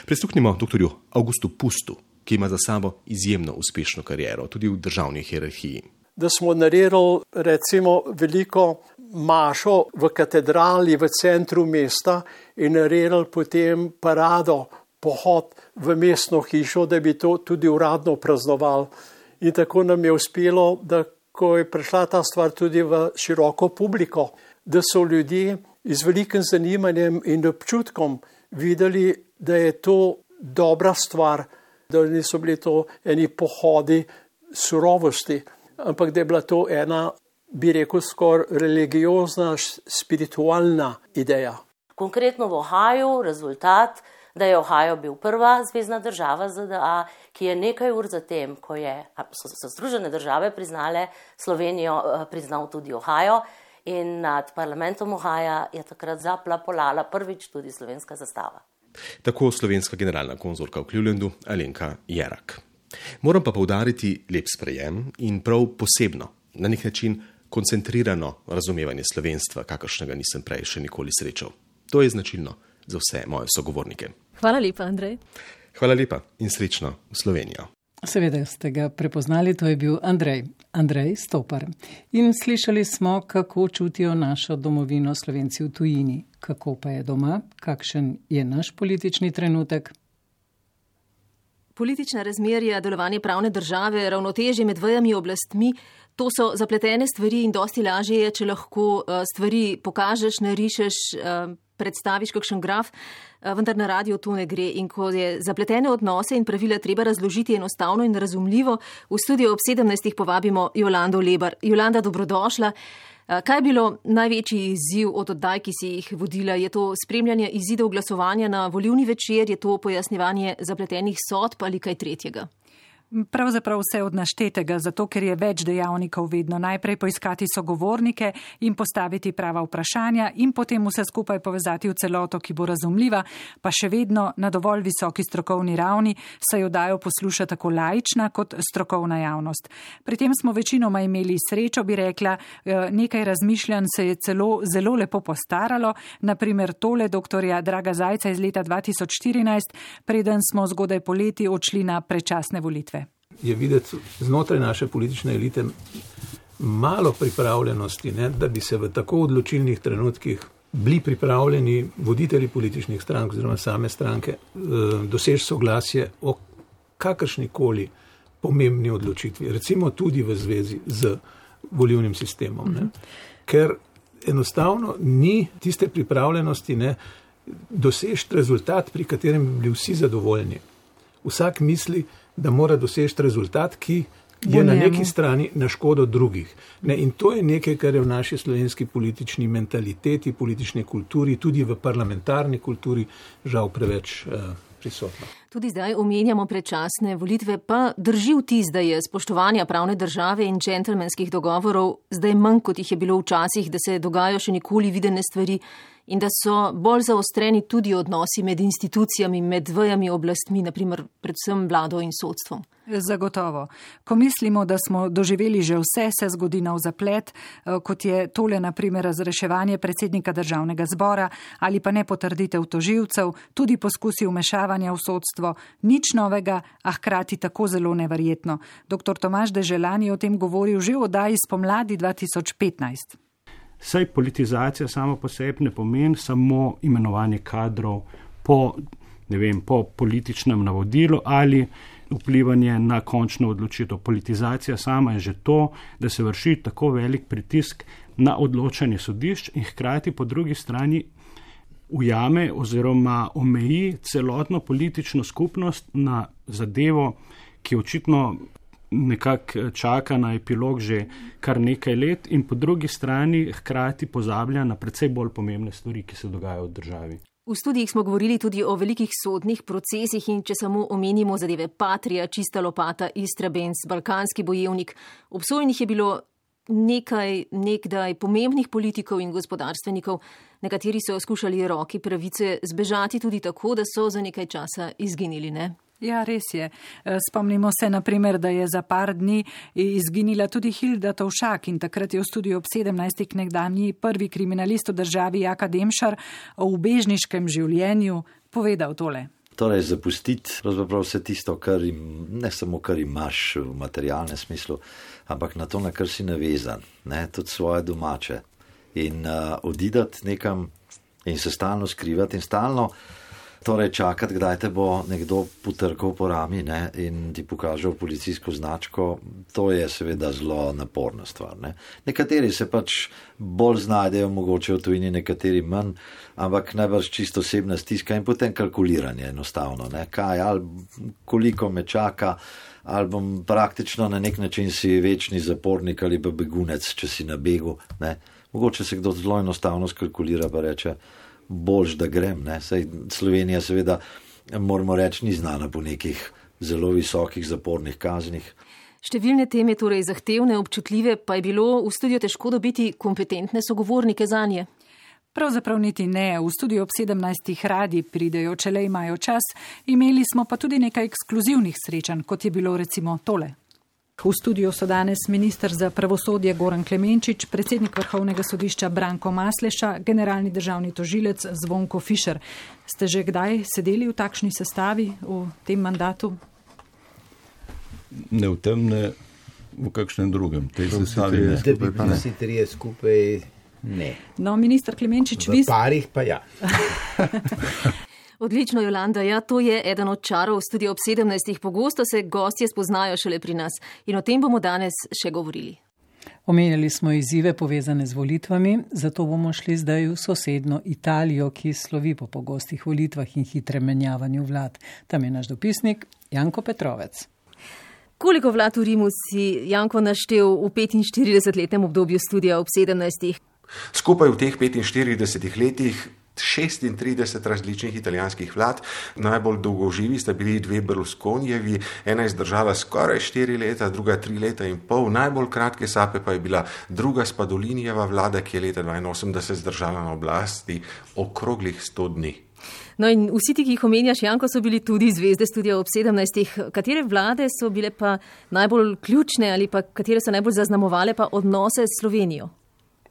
Speaker 5: Prisluhnimo doktorju Augustu Pustu, ki ima za sabo izjemno uspešno kariero, tudi v državni hierarhiji.
Speaker 9: Da smo naredili recimo veliko mašo v katedrali v centru mesta in naredili potem parado, pohod v mestno hišo, da bi to tudi uradno praznovali. In tako nam je uspelo, da ko je prišla ta stvar tudi v široko publiko, da so ljudje z velikim zanimanjem in občutkom videli, da je to dobra stvar, da niso bili to eni pohodi surovosti, ampak da je bila to ena, bi rekel, skoraj religiozna, spiritualna ideja.
Speaker 10: Konkretno v Ohaju rezultat, da je Ohio bil prva zvezna država Z D A, ki je nekaj ur zatem, ko je, so, so Združene države priznale Slovenijo, priznal tudi Ohio in nad parlamentom Ohaja je takrat zaplapolala prvič tudi slovenska zastava.
Speaker 5: Tako slovenska generalna konzulka v Clevelandu Alenka Jerak. Moram pa poudariti lep sprejem in prav posebno, na nek način koncentrirano razumevanje slovenstva, kakršnega nisem prej še nikoli srečal. To je značilno za vse moje sogovornike.
Speaker 7: Hvala lepa, Andrej.
Speaker 5: Hvala lepa in srečno v Slovenijo.
Speaker 8: Seveda ste ga prepoznali, to je bil Andrej, Andrej Stopar. In slišali smo, kako čutijo našo domovino Slovenci v tujini. Kako pa je doma, kakšen je naš politični trenutek?
Speaker 7: Politična razmerja, delovanje pravne države, ravnotežje med vejami oblastmi, to so zapletene stvari in dosti lažje je, če lahko stvari pokažeš, narišeš, predstaviš kakšen graf, vendar na radiju to ne gre. In ko je zapletene odnose in pravila treba razložiti enostavno in razumljivo, v studio ob sedemnajstih povabimo Jolando Lebar. Jolanda, dobrodošla. Kaj je bilo največji izziv od oddaj, ki si jih vodila? Je to spremljanje izidov glasovanja na volilni večer, je to pojasnjevanje zapletenih sodb ali kaj tretjega?
Speaker 11: Pravzaprav vse od naštetega, zato ker je več dejavnikov vedno. Najprej poiskati sogovornike in postaviti prava vprašanja in potem vse skupaj povezati v celoto, ki bo razumljiva, pa še vedno na dovolj visoki strokovni ravni, saj jo dajo posluša tako laična kot strokovna javnost. Pri tem smo večinoma imeli srečo, bi rekla, nekaj razmišljanj se je celo zelo lepo postaralo, naprimer tole doktorja Draga Zajca iz leta dva tisoč štirinajst, preden smo zgodaj poleti odšli na predčasne volitve.
Speaker 12: Je videti znotraj naše politične elite malo pripravljenosti, ne, da bi se v tako odločilnih trenutkih bili pripravljeni voditelji političnih strank oziroma same stranke doseči soglasje o kakršnikoli pomembni odločitvi, recimo tudi v zvezi z volilnim sistemom. Ne. Ker enostavno ni tiste pripravljenosti, ne, doseči rezultat, pri katerem bi bili vsi zadovoljni. Vsak misli, da mora doseči rezultat, ki je na neki strani na škodo drugih. Ne, in to je nekaj, kar je v naši slovenski politični mentaliteti, politični kulturi, tudi v parlamentarni kulturi žal preveč uh, prisotno.
Speaker 7: Tudi zdaj omenjamo predčasne volitve, pa drži vtis, da je spoštovanja pravne države in džentelmenskih dogovorov zdaj manj, kot jih je bilo včasih, da se dogajajo še nikoli videne stvari in da so bolj zaostreni tudi odnosi med institucijami, med vejami oblastmi, naprimer predvsem vlado in sodstvom.
Speaker 11: Zagotovo. Ko mislimo, da smo doživeli že vse, se zgodi nov zaplet, kot je tole naprimer razreševanje predsednika državnega zbora ali pa nepotrditev tožilcev, tudi poskusi vmešavanja v sodstvo, nič novega, a hkrati tako zelo neverjetno. Doktor Tomaž Deželan je o tem govoril že v oddaji spomladi dva tisoč petnajst.
Speaker 15: Saj politizacija samo po sebi ne pomeni samo imenovanje kadrov po, ne vem, po političnem navodilu ali vplivanje na končno odločitev. Politizacija sama je že to, da se vrši tako velik pritisk na odločanje sodišč in hkrati po drugi strani ujame oziroma omeji celotno politično skupnost na zadevo, ki očitno nekako čaka na epilog že kar nekaj let in po drugi strani hkrati pozablja na precej bolj pomembne stvari, ki se dogajajo v državi.
Speaker 7: V studijih smo govorili tudi o velikih sodnih procesih in če samo omenimo zadeve Patria, Čista lopata, Istrabenz, Balkanski bojevnik, obsojenih je bilo nekaj nekdaj pomembnih politikov in gospodarstvenikov, nekateri so skušali roki pravice zbežati tudi tako, da so za nekaj časa izginili, ne?
Speaker 11: Ja, res je. Spomnimo se, naprimer, da je za par dni izginila tudi Hilda Tovšak in takrat je v studiu ob sedemnajstih nekdanji prvi kriminalist v državi Jaka Demšar o ubežniškem življenju povedal tole.
Speaker 16: Torej, zapustiti pravzaprav vse tisto, kar im, ne samo kar imaš v materialnem smislu, ampak na to, na kar si navezan, ne, tudi svoje domače. In uh, odidati nekam in se stalno skrivati in stalno torej čakati, kdaj te bo nekdo potrkal po rami, ne, in ti pokažal policijsko značko, to je seveda zelo naporna stvar. Ne. Nekateri se pač bolj znajdejo, mogoče v tujini, nekateri manj, ampak najbrž čisto osebna stiska in potem kalkuliranje enostavno. Ne. Kaj, ali koliko me čaka, ali bom praktično na nek način si večni zapornik ali pa begunec, če si na begu. Ne. Mogoče se kdo zelo enostavno skalkulira pa reče, boljš, da grem. Ne. Saj Slovenija seveda, moramo reči, ni znana po nekih zelo visokih zapornih kaznih.
Speaker 7: Številne teme, torej zahtevne, občutljive, pa je bilo v studiu težko dobiti kompetentne sogovornike zanje.
Speaker 11: Pravzaprav niti ne. V studiu ob sedemnajstih radi pridejo, če le imajo čas. Imeli smo pa tudi nekaj ekskluzivnih srečanj, kot je bilo recimo tole. V studiu so danes minister za pravosodje Goran Klemenčič, predsednik Vrhovnega sodišča Branko Masleša, generalni državni tožilec Zvonko Fišer. Ste že kdaj sedeli v takšni sestavi v tem mandatu?
Speaker 17: Ne v tem, ne v kakšnem drugem. Tej sestavi ne.
Speaker 18: Da bi pa vsi trije skupaj ne.
Speaker 11: No, minister Klemenčič,
Speaker 18: v
Speaker 11: vi...
Speaker 18: V parih pa ja.
Speaker 7: Odlično, Jolanda, ja, to je eden od čarov studia ob sedemnajstih. Pogosto se gostje spoznajo šele pri nas in o tem bomo danes še govorili.
Speaker 8: Omenjali smo izzive povezane z volitvami, zato bomo šli zdaj v sosedno Italijo, ki slovi po pogostih volitvah in hitrem menjavanju vlad. Tam je naš dopisnik Janko Petrovec.
Speaker 7: Koliko vlad v Rimu si Janko naštel v petinštiridesetletnem obdobju studia ob sedemnajstih?
Speaker 27: Skupaj v teh petinštiridesetih letih
Speaker 6: šestintrideset različnih italijanskih vlad. Najbolj dolgoživi sta bili dve Berlusconijevi, ena je zdržala skoraj štiri leta, druga tri leta in pol. Najbolj kratke sape pa je bila druga Spadolinijeva vlada, ki je leta dvainosemdeset zdržala na oblasti okroglih sto dni.
Speaker 7: No in vsi ti, ki jih omenjaš, Janko, so bili tudi zvezde Studia ob sedemnajstih. Katere vlade so bile pa najbolj ključne ali pa katere so najbolj zaznamovale pa odnose s Slovenijo?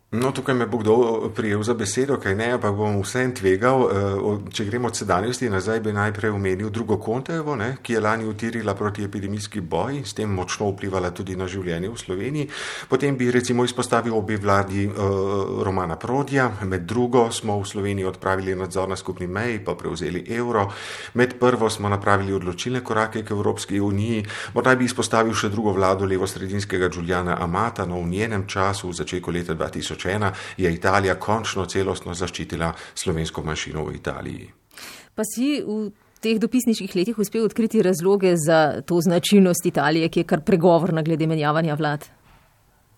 Speaker 6: No, tukaj me bo kdo prijel za besedo, kaj ne, pa bom vsem tvegal. Če gremo od sedanjosti nazaj, bi najprej omenil drugo Contejevo, ne, ki je lani utirila protiepidemijski boj in s tem močno vplivala tudi na življenje v Sloveniji. Potem bi recimo izpostavil obe vladi uh, Romana Prodja. Med drugo smo v Sloveniji odpravili nadzor na skupni meji, pa prevzeli evro. Med prvo smo napravili odločilne korake k Evropski uniji. Morda bi izpostavil še drugo vlado levosredinskega Giuliana Amata, no v njenem času, v začetku leta dva tisoč ena, je Italija končno celostno zaščitila slovensko manjšino v Italiji.
Speaker 7: Pa si v teh dopisniških letih uspel odkriti razloge za to značilnost Italije, ki je kar pregovorna glede menjavanja vlad?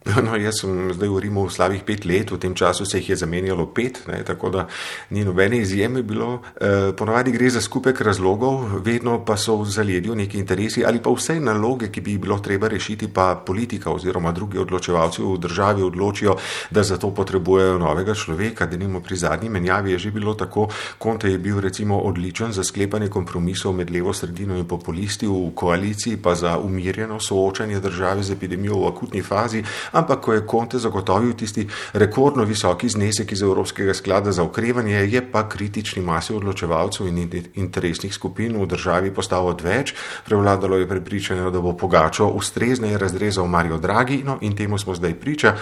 Speaker 6: No, jaz sem zdaj v Rimu slabih pet let, v tem času se jih je zamenjalo pet, ne, tako da ni nobene izjeme bilo. E, ponavadi gre za skupek razlogov, vedno pa so v zaledju neki interesi ali pa vse naloge, ki bi jih bilo treba rešiti, pa politika oziroma drugi odločevalci v državi odločijo, da za to potrebujejo novega človeka. Denimo pri zadnji menjavi je že bilo tako. Conte je bil recimo odličen za sklepanje kompromisov med levo sredino in populisti v koaliciji, pa za umirjeno soočanje države z epidemijo v akutni fazi. Ampak ko je Conte zagotovil tisti rekordno visoki znesek iz Evropskega sklada za okrevanje, je pa kritični masi odločevalcev in interesnih skupin v državi postal odveč. Prevladalo je prepričanje, da bo Pogačo ustrezneje razrezal Mario Draghi, no in temu smo zdaj priča.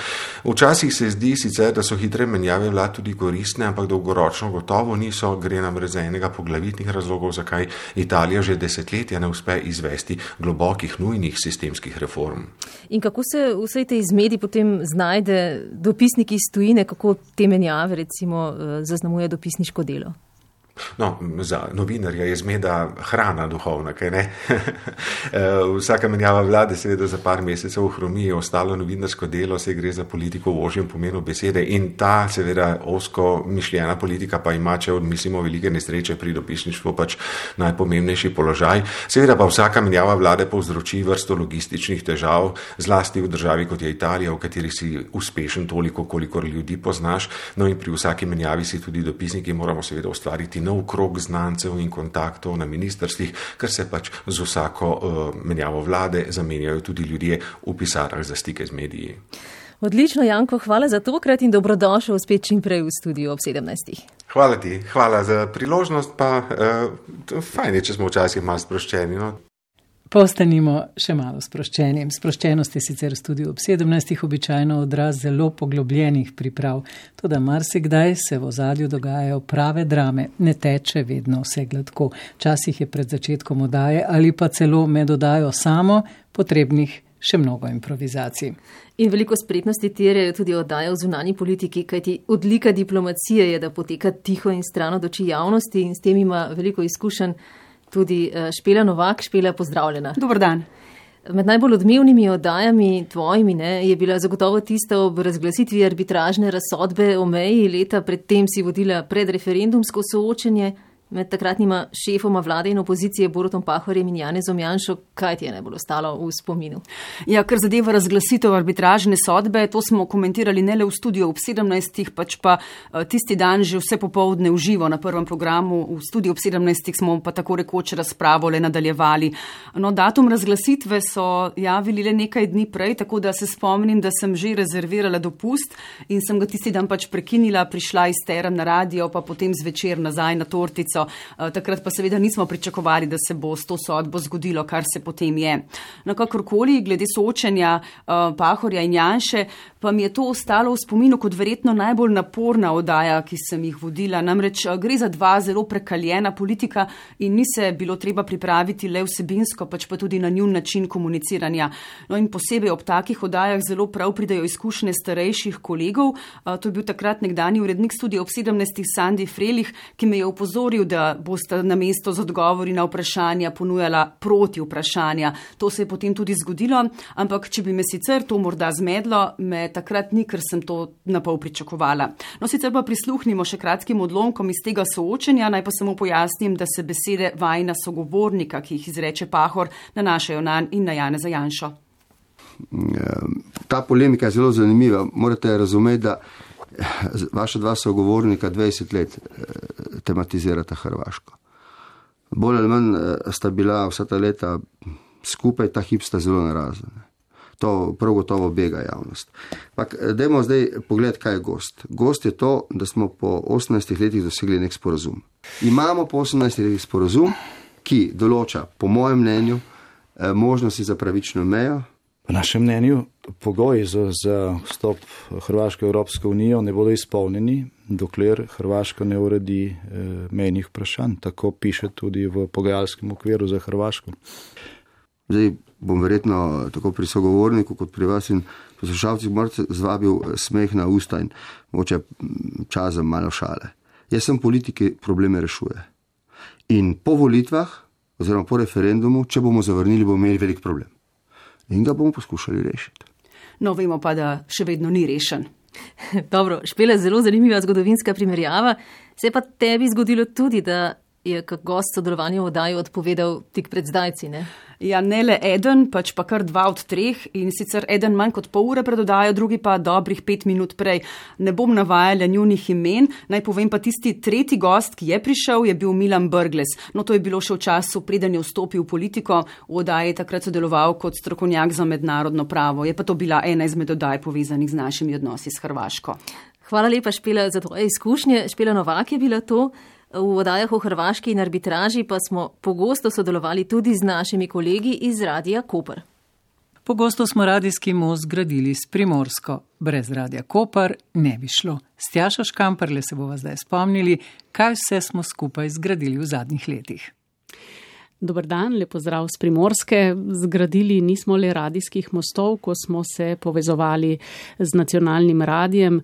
Speaker 6: Včasih se zdi sicer, da so hitre menjave vlad tudi koristne, ampak dolgoročno gotovo niso. Gre namreč za enega poglavitnih razlogov, zakaj Italija že desetletja ne uspe izvesti globokih, nujnih sistemskih reform.
Speaker 7: In kako se vsej tej mediji potem znajde dopisniki iz tujine, kako te menjave recimo zaznamuje dopisniško delo?
Speaker 6: No, za novinarja je zmeda hrana duhovna, kaj ne? Vsaka menjava vlade seveda za par mesecev ohromi, ostalo novinarsko delo, se gre za politiko v ožjem pomenu besede in ta seveda osko mišljena politika pa ima, če odmislimo velike nesreče pri dopisništvu, pač najpomembnejši položaj. Seveda pa vsaka menjava vlade povzroči vrsto logističnih težav, zlasti v državi kot je Italija, v kateri si uspešen toliko, kolikor ljudi poznaš. No in pri vsaki menjavi si tudi dopisniki moramo seveda ustvariti nov krog znancev in kontaktov na ministrstvih, ker se pač z vsako uh, menjavo vlade zamenjajo tudi ljudje v pisarnah za stike z mediji.
Speaker 7: Odlično, Janko, hvala za tokrat in dobrodošel spet čim prej v studiu ob sedemnajstih.
Speaker 6: Hvala ti, hvala za priložnost, pa uh, fajn je, če smo včasih malo sproščeni, no.
Speaker 8: Postanimo še malo sproščeni. Sproščenost je sicer v studiu ob sedemnajstih običajno odraz zelo poglobljenih priprav, toda marsikdaj se v ozadju dogajajo prave drame, ne teče vedno vse gladko. Včasih je pred začetkom oddaje ali pa celo med oddajo samo potrebnih še mnogo improvizacij.
Speaker 7: In veliko spretnosti terjajo tudi oddaje v zunanji politiki, kajti odlika diplomacije je, da poteka tiho in stran od oči javnosti in s tem ima veliko izkušenj tudi Špela Novak. Špela, pozdravljena.
Speaker 13: Dober dan.
Speaker 7: Med najbolj odmevnimi oddajami tvojimi ne, je bila zagotovo tista ob razglasitvi arbitražne razsodbe o meji. Leta predtem si vodila predreferendumsko soočenje med takratnima šefoma vlade in opozicije Borutom Pahorjem in Janezom Janšo. Kaj ti je najbolj ostalo v spominu?
Speaker 13: Ja, kar zadeva razglasitev arbitražne sodbe, to smo komentirali ne le v studiu ob sedemnajstih, pač pa tisti dan že vse popoldne v živo na prvem programu. V studiu ob sedemnajstih smo pa tako rekoč razpravo le nadaljevali. No, datum razglasitve so javili le nekaj dni prej, tako da se spomnim, da sem že rezervirala dopust in sem ga tisti dan pač prekinila, prišla iz Term na radio, pa potem zvečer nazaj na tortico. Takrat pa seveda nismo pričakovali, da se bo s to sodbo zgodilo, kar se potem je. No, kakorkoli, glede soočenja uh, Pahorja in Janše, pa mi je to ostalo v spominu kot verjetno najbolj naporna oddaja, ki sem jih vodila. Namreč uh, gre za dva zelo prekaljena politika in ni se bilo treba pripraviti le vsebinsko, pač pa tudi na njun način komuniciranja. No in posebej ob takih oddajah zelo prav pridajo izkušnje starejših kolegov. Uh, to je bil takrat nekdani urednik studia ob sedemnajstih Sandi Frelih, ki me je upozoril, da boste na mesto z odgovori na vprašanja ponujala proti vprašanja. To se je potem tudi zgodilo, ampak če bi me sicer to morda zmedlo, me takrat ni, ker sem to napol pričakovala. No, sicer pa prisluhnimo še kratkim odlomkom iz tega soočenja, naj pa samo pojasnim, da se besede vajina sogovornika, ki jih izreče Pahor, nanašajo nanj in na Janeza Janšo.
Speaker 14: Ta polemika je zelo zanimiva. Morate razumeti, da vaša dva sogovornika dvajset let tematizirata Hrvaško. Bolj ali manj sta bila vsa ta leta skupaj, ta hip sta zelo narazen. To prav gotovo bega javnost. Pak, dajmo zdaj pogled, kaj je gost. Gost je to, da smo po osemnajstih letih dosegli nek sporazum. Imamo po osemnajstih letih sporazum, ki določa, po mojem mnenju, možnosti za pravično mejo.
Speaker 19: Po našem mnenju pogoji za, za vstop Hrvaške v Evropsko unijo ne bodo izpolnjeni, dokler Hrvaška ne uredi eh, mejnih vprašanj. Tako piše tudi v pogajalskem okviru za Hrvaško.
Speaker 14: Zdaj bom verjetno tako pri sogovorniku kot pri vas in poslušalcih morate zvabil smeh na usta in moče čas za malo šale. Jaz sem politik, ki probleme rešuje. In po volitvah oziroma po referendumu, če bomo zavrnili, bomo imeli velik problem. In ga bomo poskušali rešiti.
Speaker 13: No, vemo pa, da še vedno ni rešen.
Speaker 7: Dobro, Špela, zelo zanimiva zgodovinska primerjava. Se je pa tebi zgodilo tudi, da je kak gost sodelovanja v oddaji odpovedal tik pred zdajci, ne?
Speaker 13: Ja, ne le eden, pač pa kar dva od treh in sicer eden manj kot pol ure pred oddajo, drugi pa dobrih pet minut prej. Ne bom navajala njunih imen, naj povem pa tisti tretji gost, ki je prišel, je bil Milan Brglez. No, to je bilo še v času, preden je vstopil v politiko, v oddaji takrat sodeloval kot strokovnjak za mednarodno pravo. Je pa to bila ena izmed oddaj povezanih z našimi odnosi s Hrvaško.
Speaker 7: Hvala lepa, Špela, za tvoje izkušnje. Špela Novak je bila to. V oddajah o Hrvaški in arbitraži pa smo pogosto sodelovali tudi z našimi kolegi iz Radia Koper.
Speaker 8: Pogosto smo radijski most gradili s Primorsko. Brez Radia Koper ne bi šlo. S Tjašo Škamperle se bova zdaj spomnili, kaj vse smo skupaj zgradili v zadnjih letih.
Speaker 20: Dobar dan, lep pozdrav z Primorske. Zgradili nismo le radijskih mostov, ko smo se povezovali z nacionalnim radijem.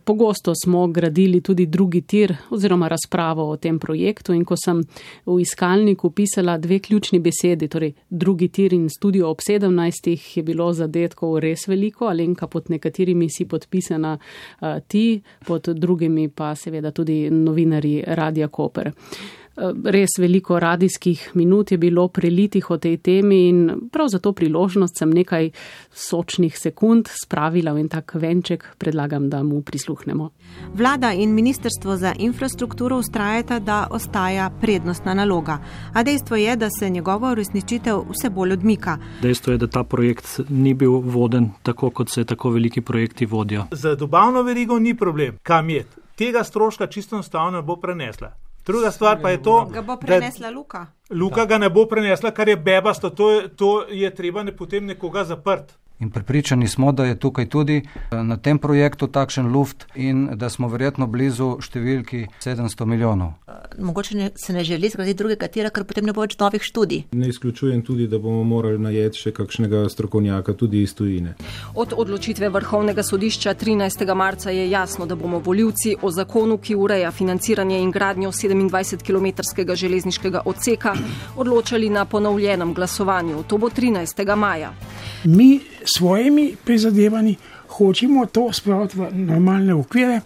Speaker 20: Pogosto smo gradili tudi drugi tir oziroma razpravo o tem projektu in ko sem v iskalniku pisala dve ključni besedi, torej drugi tir in studio ob sedemnajstih, je bilo zadetkov res veliko. Alenka, pod nekaterimi si podpisana uh, ti, pod drugimi pa seveda tudi novinarji Radia Koper. Res veliko radijskih minut je bilo prelitih o tej temi in prav za to priložnost sem nekaj sočnih sekund spravila v en tak venček, predlagam, da mu prisluhnemo.
Speaker 22: Vlada in Ministrstvo za infrastrukturo ustrajata, da ostaja prednostna naloga, a dejstvo je, da se njegova uresničitev vse bolj odmika.
Speaker 23: Dejstvo je, da ta projekt ni bil voden tako, kot se tako veliki projekti vodijo.
Speaker 24: Za dobavno verigo ni problem, kam je. Tega stroška čisto enostavno bo prenesla. Druga stvar pa je to,
Speaker 22: ga bo prenesla Luka.
Speaker 24: Luka ga ne bo prenesla, kar je bebasto, to je, to je treba ne potem nekoga zaprt.
Speaker 27: In prepričani smo, da je tukaj tudi na tem projektu takšen luft in da smo verjetno blizu številki sedemsto milijonov.
Speaker 22: Mogoče ne, se ne želi zgraditi drugega tira, ker potem ne bo več novih študij.
Speaker 28: Ne izključujem tudi, da bomo morali najeti še kakšnega strokovnjaka tudi iz tujine.
Speaker 29: Od odločitve Vrhovnega sodišča trinajstega marca je jasno, da bomo volivci o zakonu, ki ureja financiranje in gradnjo sedemindvajsetkilometrskega železniškega odseka, odločali na ponovljenem glasovanju. To bo trinajstega maja.
Speaker 30: Mi svojimi prizadevanji hočemo to spraviti v normalne okvire,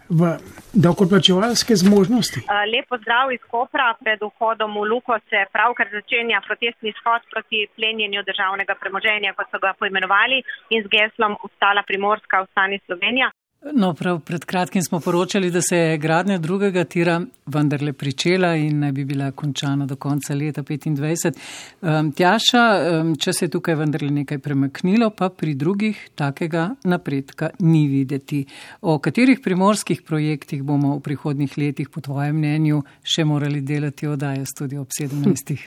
Speaker 30: v davkoplačevalske zmožnosti.
Speaker 31: Lep pozdrav iz Kopra. Pred vhodom v Luko se pravkar začenja protestni shod proti plenjenju državnega premoženja, kot so ga poimenovali, in z geslom Vstala Primorska, vstani Slovenija.
Speaker 8: No, prav pred kratkim smo poročali, da se je gradnja drugega tira vendarle pričela in naj bi bila končana do konca leta petindvajset. Um, Tjaša, um, če se je tukaj vendarle nekaj premaknilo, pa pri drugih takega napredka ni videti. O katerih primorskih projektih bomo v prihodnjih letih po tvojem mnenju še morali delati oddaje Studio ob sedemnajstih?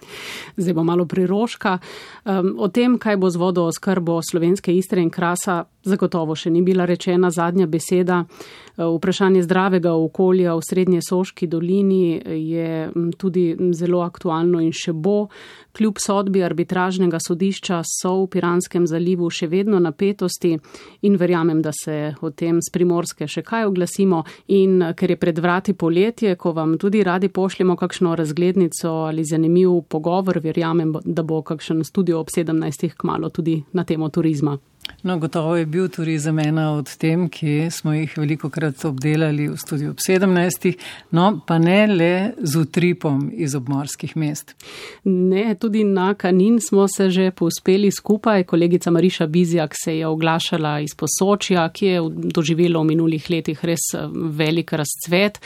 Speaker 20: Zdaj bo malo priroška. Um, o tem, kaj bo z vodooskrbo Slovenske Istre in Krasa, zagotovo še ni bila rečena zadnja beseda. Vprašanje zdravega okolja v Srednje Soški dolini je tudi zelo aktualno in še bo. Kljub sodbi arbitražnega sodišča so v Piranskem zalivu še vedno napetosti in verjamem, da se o tem s Primorske še kaj oglasimo. In ker je pred vrati poletje, ko vam tudi radi pošljemo kakšno razglednico ali zanimiv pogovor, verjamem, da bo kakšen studio ob sedemnajstih kmalu tudi na temo turizma.
Speaker 8: No, gotovo je bil turizem ena od tem, ki smo jih veliko krat obdelali v studiu ob sedemnajstih, no pa ne le z utripom iz obmorskih mest.
Speaker 20: Ne, tudi na Kanin smo se že povzpeli skupaj. Kolegica Mariša Bizjak se je oglašala iz Posočja, ki je doživelo v minulih letih res velik razcvet.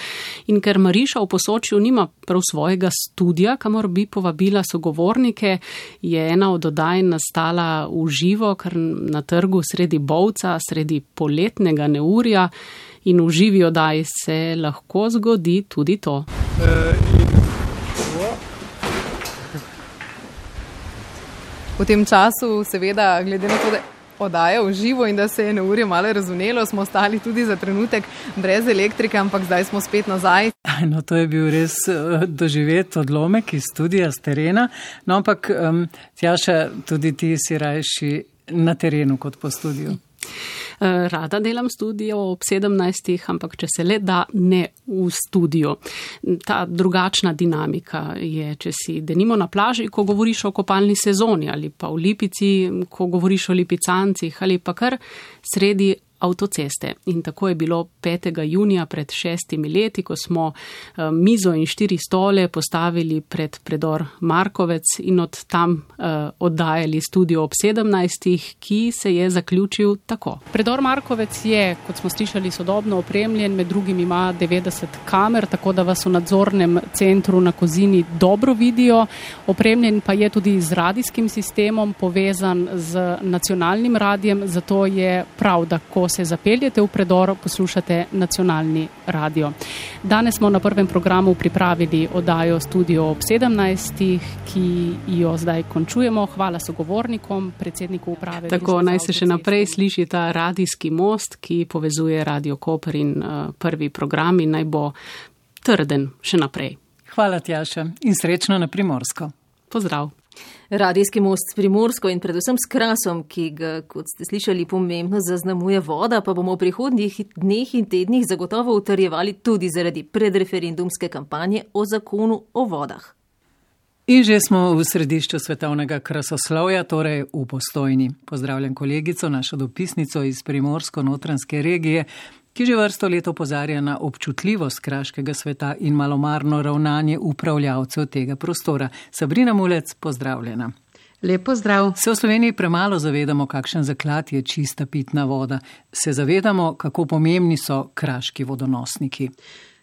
Speaker 20: In ker Mariša v Posočju nima prav svojega studija, kamor bi povabila sogovornike, je ena od oddaj nastala v živo, kar na trgu sredi Bovca, sredi poletnega neurja, in v živi oddaji se lahko zgodi tudi to.
Speaker 1: V tem času, seveda, glede na to, da oddaja v živo in da se je neurje malo razvnelo, smo ostali tudi za trenutek brez elektrike, ampak zdaj smo spet nazaj.
Speaker 8: No, to je bil res doživet odlomek iz studija, z terena. No, ampak, um, Tjaša, tudi ti si rajši na terenu kot po studiju.
Speaker 20: Rada delam studio ob sedemnajstih, ampak če se le da, ne v studiu. Ta drugačna dinamika je, če si denimo na plaži, ko govoriš o kopalni sezoni, ali pa v Lipici, ko govoriš o lipicancih, ali pa kar sredi avtoceste. In tako je bilo petega junija pred šestimi leti, ko smo mizo in štiri stole postavili pred predor Markovec in od tam uh, oddajali studio ob sedemnajstih, ki se je zaključil tako. Predor Markovec je, kot smo slišali, sodobno opremljen, med drugim ima devetdeset kamer, tako da vas v nadzornem centru na Kozini dobro vidijo. Opremljen pa je tudi z radijskim sistemom, povezan z nacionalnim radijem, zato je prav, da ko se zapeljete v predor, poslušate nacionalni radio. Danes smo na prvem programu pripravili oddajo Studio ob sedemnajstih, ki jo zdaj končujemo. Hvala sogovornikom, predsedniku uprave. Tako naj se še naprej sliši ta radijski most, ki povezuje Radio Koper in uh, prvi program in naj bo trden še naprej.
Speaker 8: Hvala, Tjaša, in srečno na Primorsko.
Speaker 20: Pozdrav.
Speaker 7: Radijski most s Primorsko in predvsem s Krasom, ki ga, kot ste slišali, pomembno zaznamuje voda, pa bomo v prihodnjih dneh in tednih zagotovo utrjevali tudi zaradi predreferendumske kampanje o zakonu o vodah.
Speaker 8: In že smo v središču svetovnega krasoslovja, torej v Postojni. Pozdravljam kolegico, našo dopisnico iz Primorsko-notranjske regije, ki že vrsto let opozarja na občutljivost kraškega sveta in malomarno ravnanje upravljavcev tega prostora. Sabrina Mulec, pozdravljena.
Speaker 2: Lep pozdrav.
Speaker 8: Se v Sloveniji premalo zavedamo, kakšen zaklad je čista pitna voda. Se zavedamo, kako pomembni so kraški vodonosniki.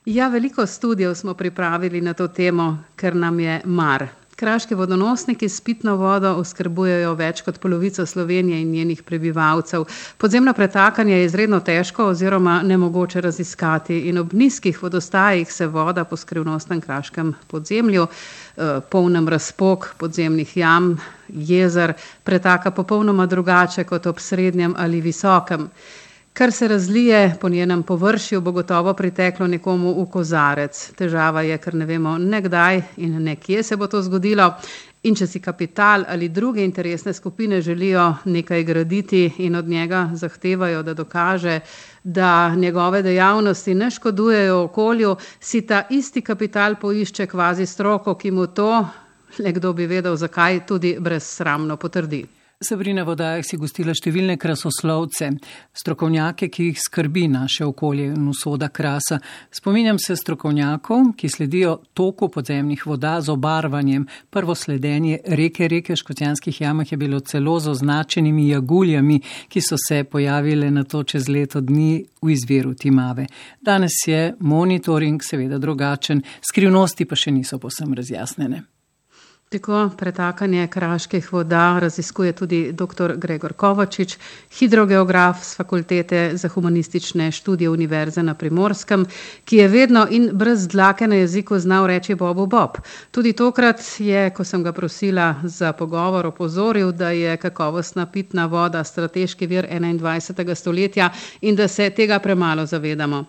Speaker 2: Ja, veliko študijev smo pripravili na to temo, ker nam je mar. Kraški vodonosniki s pitno vodo oskrbujejo več kot polovico Slovenije in njenih prebivalcev. Podzemno pretakanje je izredno težko oziroma nemogoče raziskati in ob nizkih vodostajih se voda po skrivnostnem kraškem podzemlju, polnem razpok podzemnih jam, jezer, pretaka popolnoma drugače kot ob srednjem ali visokem. Kar se razlije po njenem površju, bo gotovo priteklo nekomu v kozarec. Težava je, ker ne vemo nekdaj in nekje se bo to zgodilo. In če si kapital ali druge interesne skupine želijo nekaj graditi in od njega zahtevajo, da dokaže, da njegove dejavnosti ne škodujejo okolju, si ta isti kapital poišče kvazi stroko, ki mu to, le kdo bi vedel zakaj, tudi brezsramno potrdi.
Speaker 8: Sabrina, v oddajah si gostila številne krasoslovce, strokovnjake, ki jih skrbi naše okolje in usoda Krasa. Spominjam se strokovnjakov, ki sledijo toku podzemnih voda z obarvanjem. Prvo sledenje reke reke v Škocjanskih jamah je bilo celo z označenimi jaguljami, ki so se pojavile na to čez leto dni v izviru Timave. Danes je monitoring seveda drugačen, skrivnosti pa še niso povsem razjasnjene.
Speaker 2: Tako pretakanje kraških voda raziskuje tudi dr. Gregor Kovačič, hidrogeograf z Fakultete za humanistične študije Univerze na Primorskem, ki je vedno in brez dlake na jeziku znal reči Bobu Bob. Tudi tokrat je, ko sem ga prosila za pogovor, opozoril, da je kakovostna pitna voda strateški vir enaindvajsetega stoletja in da se tega premalo zavedamo.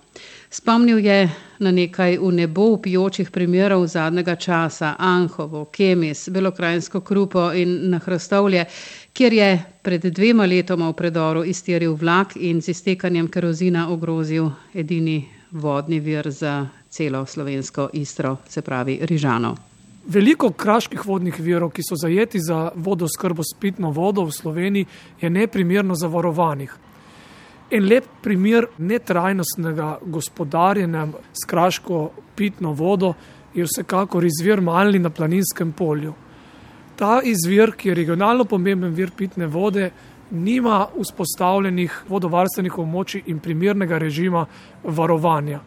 Speaker 2: Spomnil je na nekaj v nebo vpijočih primerov zadnjega časa, Anhovo, Kemis, Belokrajinsko Krupo in na Hrastovlje, kjer je pred dvema letoma v predoru iztiril vlak in z iztekanjem kerozina ogrozil edini vodni vir za celo slovensko Istro, se pravi Rižano.
Speaker 3: Veliko kraških vodnih virov, ki so zajeti za vodoskrbo s pitno vodo v Sloveniji, je neprimerno zavarovanih. En lep primer netrajnostnega gospodarjenja s kraško pitno vodo je vsekakor izvir Malni na Planinskem polju. Ta izvir, ki je regionalno pomemben vir pitne vode, nima vzpostavljenih vodovarstvenih območij in primernega režima varovanja.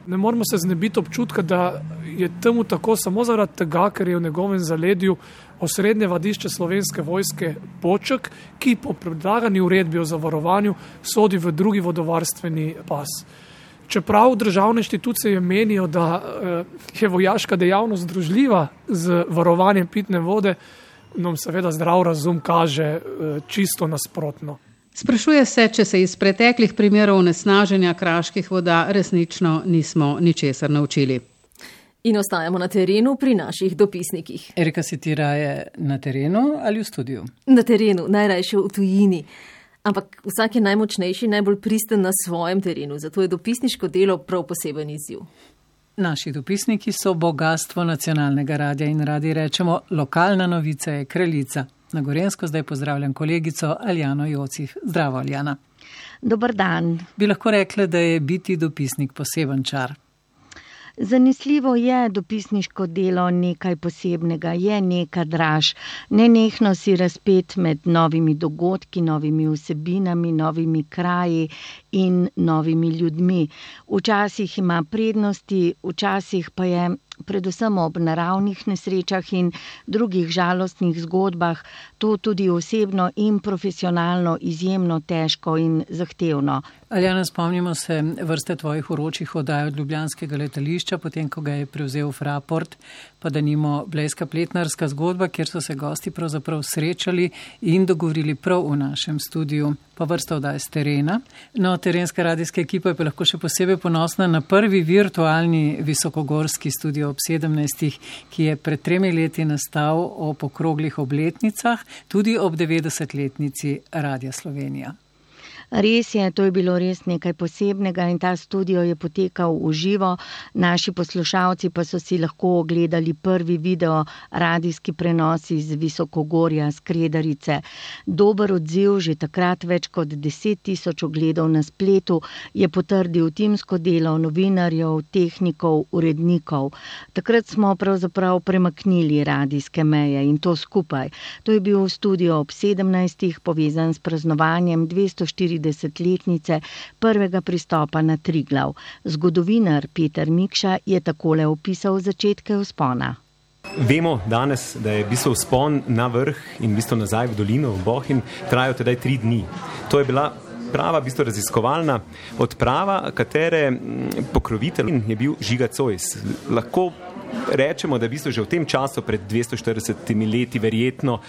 Speaker 3: Ne moramo se znebiti občutka, da je temu tako samo zaradi tega, ker je v njegovem zaledju osrednje vadišče Slovenske vojske Poček, ki po predlagani uredbi o zavarovanju sodi v drugi vodovarstveni pas. Čeprav državne inštitucije menijo, da je vojaška dejavnost združljiva z varovanjem pitne vode, nam seveda zdrav razum kaže čisto nasprotno.
Speaker 2: Sprašuje se, če se iz preteklih primerov onesnaženja kraških voda resnično nismo ničesar naučili.
Speaker 7: In ostajamo na terenu pri naših dopisnikih.
Speaker 8: Erika, si ti raje na terenu ali v studiu?
Speaker 7: Na terenu, najrajše v tujini. Ampak vsak je najmočnejši, najbolj pristen na svojem terenu, zato je dopisniško delo prav poseben izziv.
Speaker 8: Naši dopisniki so bogatstvo nacionalnega radia in radi rečemo, lokalna novica je kraljica. Na Gorenjsko zdaj pozdravljam kolegico Aljano Jocih. Zdravo, Aljana.
Speaker 4: Dobar dan.
Speaker 8: Bi lahko rekla, da je biti dopisnik poseben čar?
Speaker 4: Zanesljivo je dopisniško delo nekaj posebnega, je neka draž. Nenehno si razpet med novimi dogodki, novimi vsebinami, novimi kraji in novimi ljudmi. Včasih ima prednosti, včasih pa je predvsem ob naravnih nesrečah in drugih žalostnih zgodbah to tudi osebno in profesionalno izjemno težko in zahtevno.
Speaker 8: Aljana, spomnimo se vrste tvojih uročih oddaj od ljubljanskega letališča, potem ko ga je prevzel Fraport, pa da nimo Blejska pletnarska zgodba, kjer so se gosti pravzaprav srečali in dogovorili prav v našem studiu. Pa vrsta oddaj z terena. No, terenska radijska ekipa je pa lahko še posebej ponosna na prvi virtualni visokogorski studio ob sedemnajstih, ki je pred tremi leti nastal ob okroglih obletnicah, tudi ob devetdesetletnici Radia Slovenija.
Speaker 4: Res je, to je bilo res nekaj posebnega in ta studio je potekal v živo. Naši poslušalci pa so si lahko ogledali prvi video radijski prenos iz Visokogorja, Skredarice. Dober odziv, že takrat več kot deset tisoč ogledov na spletu, je potrdil timsko delo novinarjev, tehnikov, urednikov. Takrat smo pravzaprav premaknili radijske meje in to skupaj. To je bil studio ob sedemnajstih, povezan s praznovanjem dvestoštiridesetletnice prvega pristopa na Triglav. Zgodovinar Peter Mikša je takole opisal začetke vzpona.
Speaker 5: Vemo danes, da je v bistvu vzpon na vrh in v bistvu nazaj v dolino, v Bohinj, trajal tedaj tri dni. To je bila prava, v bistvu raziskovalna odprava, katere pokrovitelj je bil Žiga Zois. Lahko rečemo, da je v bistvu že v tem času pred dvesto štiridesetimi leti verjetno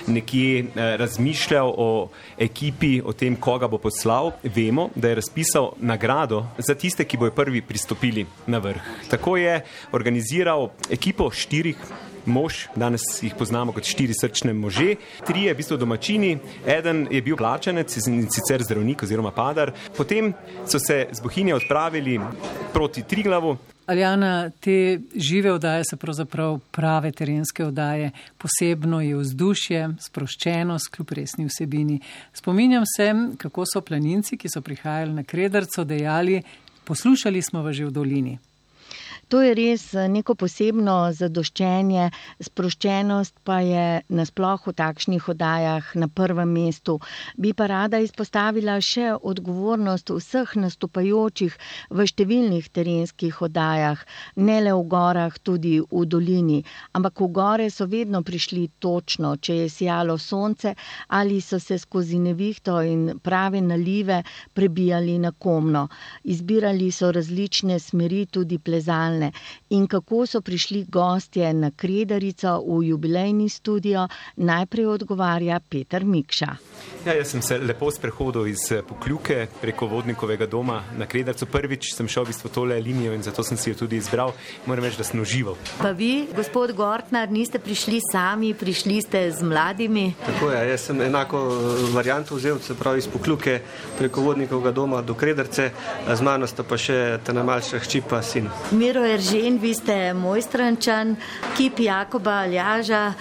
Speaker 5: nekje razmišljal o ekipi, o tem, koga bo poslal. Vemo, da je razpisal nagrado za tiste, ki bojo prvi pristopili na vrh. Tako je organiziral ekipo štirih mož, danes jih poznamo kot štiri srčne može. Trije v bistvu domačini, eden je bil plačanec in sicer zdravnik oziroma padar. Potem so se z Bohinja odpravili proti Triglavu.
Speaker 8: Aljana, te žive oddaje so pravzaprav prave terenske oddaje. Posebno je vzdušje, sproščenost kljub resni vsebini. Spominjam se, kako so planinci, ki so prihajali na Krederco, dejali, poslušali smo vas že v dolini.
Speaker 4: To je res neko posebno zadoščenje, sproščenost pa je nasploh v takšnih oddajah na prvem mestu. Bi pa rada izpostavila še odgovornost vseh nastopajočih v številnih terenskih oddajah, ne le v gorah, tudi v dolini. Ampak v gore so vedno prišli točno, če je sijalo sonce ali so se skozi nevihto in prave nalive prebijali na Komno. Izbirali so različne smeri, tudi plezalne. In kako so prišli gostje na Kredarico v jubilejni studio, najprej odgovarja Peter Mikša.
Speaker 5: Ja, jaz sem se lepo sprehodil iz Pokljuke preko Vodnikovega doma na Kredarico. Prvič sem šel v bistvu tole linijo in zato sem si jo tudi izbral. Moram reči, da sem užival.
Speaker 9: Pa vi, gospod Gortnar, niste prišli sami, prišli ste z mladimi?
Speaker 10: Tako je, jaz sem enako varianto vzel, se pravi iz Pokljuke preko Vodnikovega doma do Kredarice, z mano sta pa še ta najmlajša hči pa sin.
Speaker 9: Miro Miro Eržen, vi ste Mojstrančan, kip Jakoba Aljaža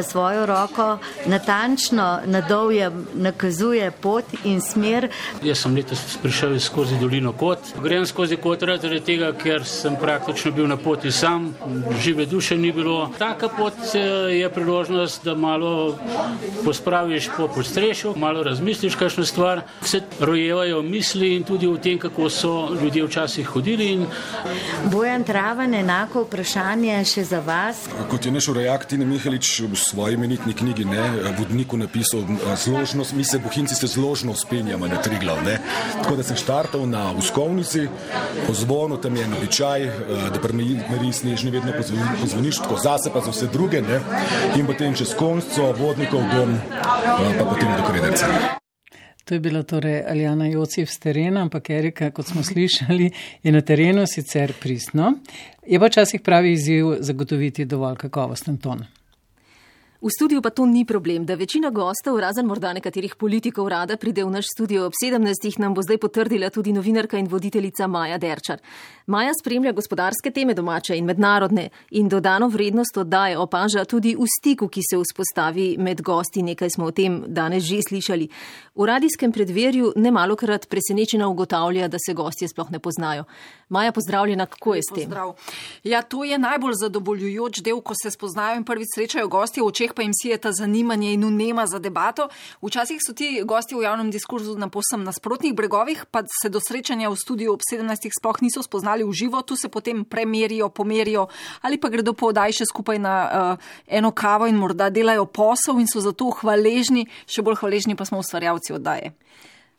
Speaker 9: svojo roko natančno nadolje nakazuje pot in smer.
Speaker 6: Jaz sem letos prišel skozi dolino Kot. Grem skozi Kot zaradi tega, ker sem praktično bil na poti sam, žive duše ni bilo. Taka pot je priložnost, da malo pospraviš po podstrešju, malo razmisliš kakšno stvar. Vse rojevajo misli in tudi o tem, kako so ljudje včasih hodili. In...
Speaker 9: Bojan Travan, enako vprašanje še za vas.
Speaker 11: Kot je naš urejak Tine Mihelič v svoji imenitni knjigi, ne, vodniku napisal, zložnost, mi se bohinci se zložno spenjamo na Triglav, ne. Tako da sem štartal na Uskovnici, po zvonu, tam je običaj, da primeri snežni vedno pozvoniš, tako zase pa za vse druge, ne, in potem čez Konjco, Vodnikov dom, pa potem do Krederca.
Speaker 8: To je bila torej Aljana Jocif z terena, ampak Erika, kot smo slišali, je na terenu sicer pristno. Je pa včasih pravi izziv zagotoviti dovolj kakovosten ton.
Speaker 7: V studiu pa to ni problem, da večina gostov, razen morda nekaterih politikov, rada pride v naš studio ob sedemnajstih, nam bo zdaj potrdila tudi novinarka in voditeljica Maja Derčar. Maja spremlja gospodarske teme domače in mednarodne in dodano vrednost oddaje opaža tudi v stiku, ki se vzpostavi med gosti, nekaj smo o tem danes že slišali. V radijskem predverju nemalokrat presenečena ugotavlja, da se gostje sploh ne poznajo. Maja, pozdravljena, kako je s tem?
Speaker 12: Pozdrav. Ja, to je najbolj zadovoljujoč del, ko se spoznajo in prvič srečajo gostje, v očeh pa jim sijeta zanimanje in vnema za debato. Včasih so ti gosti v javnem diskurzu na povsem nasprotnih bregovih, pa se do srečanja v studiu ob sedemnajstih sploh niso spoznali v živo, tu se potem premerijo, pomerijo ali pa gredo po oddaji še skupaj na uh, eno kavo in morda delajo posel in so zato hvaležni, še bolj hvaležni pa smo ustvarjalci oddaje.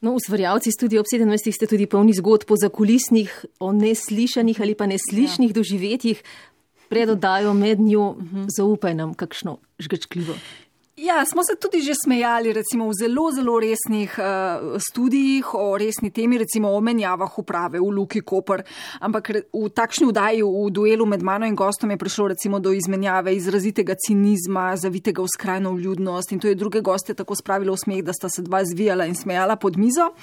Speaker 7: No, ustvarjalci studia ob sedemnajstih ste tudi polni zgodb o zakulisnih, o neslišanih ali pa neslišnih ja. doživetjih. Pred oddajo med njo, zaupaj nam kakšno žgečkljivo.
Speaker 12: Ja, smo se tudi že smejali recimo v zelo, zelo resnih uh, studijih o resni temi, recimo o menjavah uprave v Luki Koper, ampak v takšni vdaji, v duelu med mano in gostom je prišlo recimo do izmenjave izrazitega cinizma, zavitega v skrajno vljudnost in to je druge goste tako spravilo v smeh, da sta se dva zvijala in smejala pod mizo.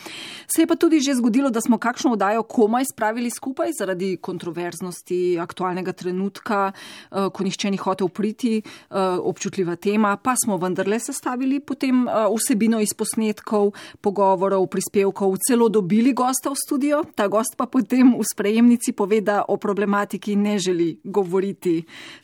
Speaker 12: Se je pa tudi že zgodilo, da smo kakšno vdajo komaj spravili skupaj zaradi kontroverznosti aktualnega trenutka, uh, ko nihče ni hotel priti, uh, občutljiva tema, pa smo vendarle sestavili potem uh, vsebino iz posnetkov, pogovorov, prispevkov, celo dobili gosta v studio. Ta gost pa potem v sprejemnici pove, da o problematiki ne želi govoriti.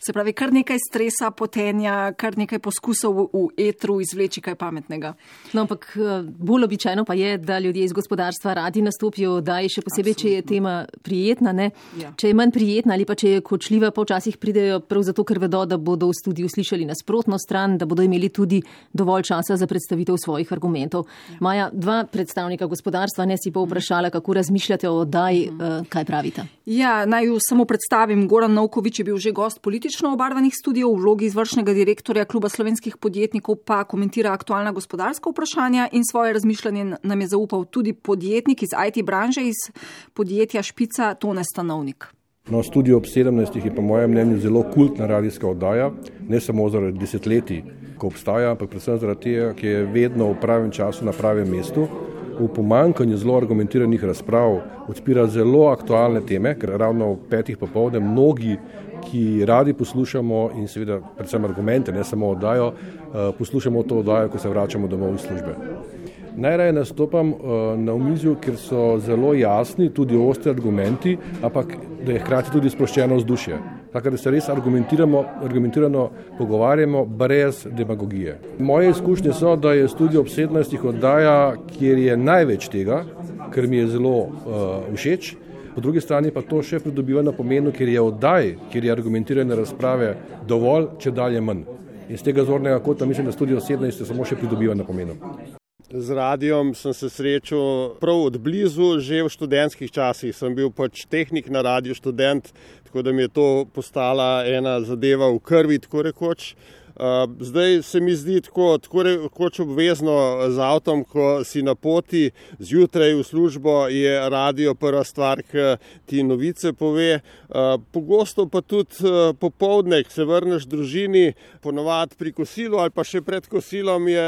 Speaker 12: Se pravi, kar nekaj stresa, potenja, kar nekaj poskusov v, v etru izvleči kaj pametnega.
Speaker 7: No, ampak bolj običajno pa je, da ljudje iz gospodarstva radi nastopijo, da je še posebej, če je tema prijetna, ne? Ja. Če je manj prijetna ali pa če je kočljiva, pa včasih pridejo prav zato, ker vedo, da bodo v studiu slišali nasprotno stran, da bodo imeli tudi dovolj časa za predstavitev svojih argumentov. Ja. Maja, dva predstavnika gospodarstva, ne si pa vprašala, kako razmišljate o oddaji, uh, kaj pravite?
Speaker 12: Ja, naj jo samo predstavim. Goran Novković je bil že gost politično obarvanih studijev, v vlogi izvršnega direktorja Kluba slovenskih podjetnikov pa komentira aktualna gospodarska vprašanja in svoje razmišljanje nam je zaupal tudi podjetnik iz I T branže, iz podjetja Špica, Tone Stanovnik.
Speaker 15: No, studio ob sedemnajstih je po mojem mnenju zelo kultna radijska oddaja, ne samo zaradi desetletij, ko obstaja, ampak predvsem zaradi tega, ki je vedno v pravem času na pravem mestu. V pomanjkanju zelo argumentiranih razprav odpira zelo aktualne teme, ker ravno v petih popovdne mnogi, ki radi poslušamo in seveda predvsem argumente, ne samo oddajo, poslušamo to oddajo, ko se vračamo domov iz službe. Najraje nastopam na omizju, ker so zelo jasni, tudi ostri argumenti, ampak da je hkrati tudi sproščeno vzdušje. Tako da se res argumentirano pogovarjamo brez demagogije. Moje izkušnje so, da je studio ob sedemnajstih oddaja, kjer je največ tega, ker mi je zelo uh, všeč. Po drugi strani pa to še pridobiva na pomenu, ker je oddaj, kjer je argumentirane razprave dovolj, če dalje manj. In z tega zornega kota mislim, da studio sedemnajst samo še pridobiva na pomenu.
Speaker 16: Z radijom sem se srečal prav od blizu, že v študentskih časih. Sem bil pač tehnik na radiju, študent, tako da mi je to postala ena zadeva v krvi, tako rekoč. Zdaj se mi zdi tako, tako rekoč obvezno z avtom, ko si na poti zjutraj v službo, je radio prva stvar, ki ti novice pove. Pogosto pa tudi popoldne, ko se vrneš družini, ponovadi pri kosilu ali pa še pred kosilom je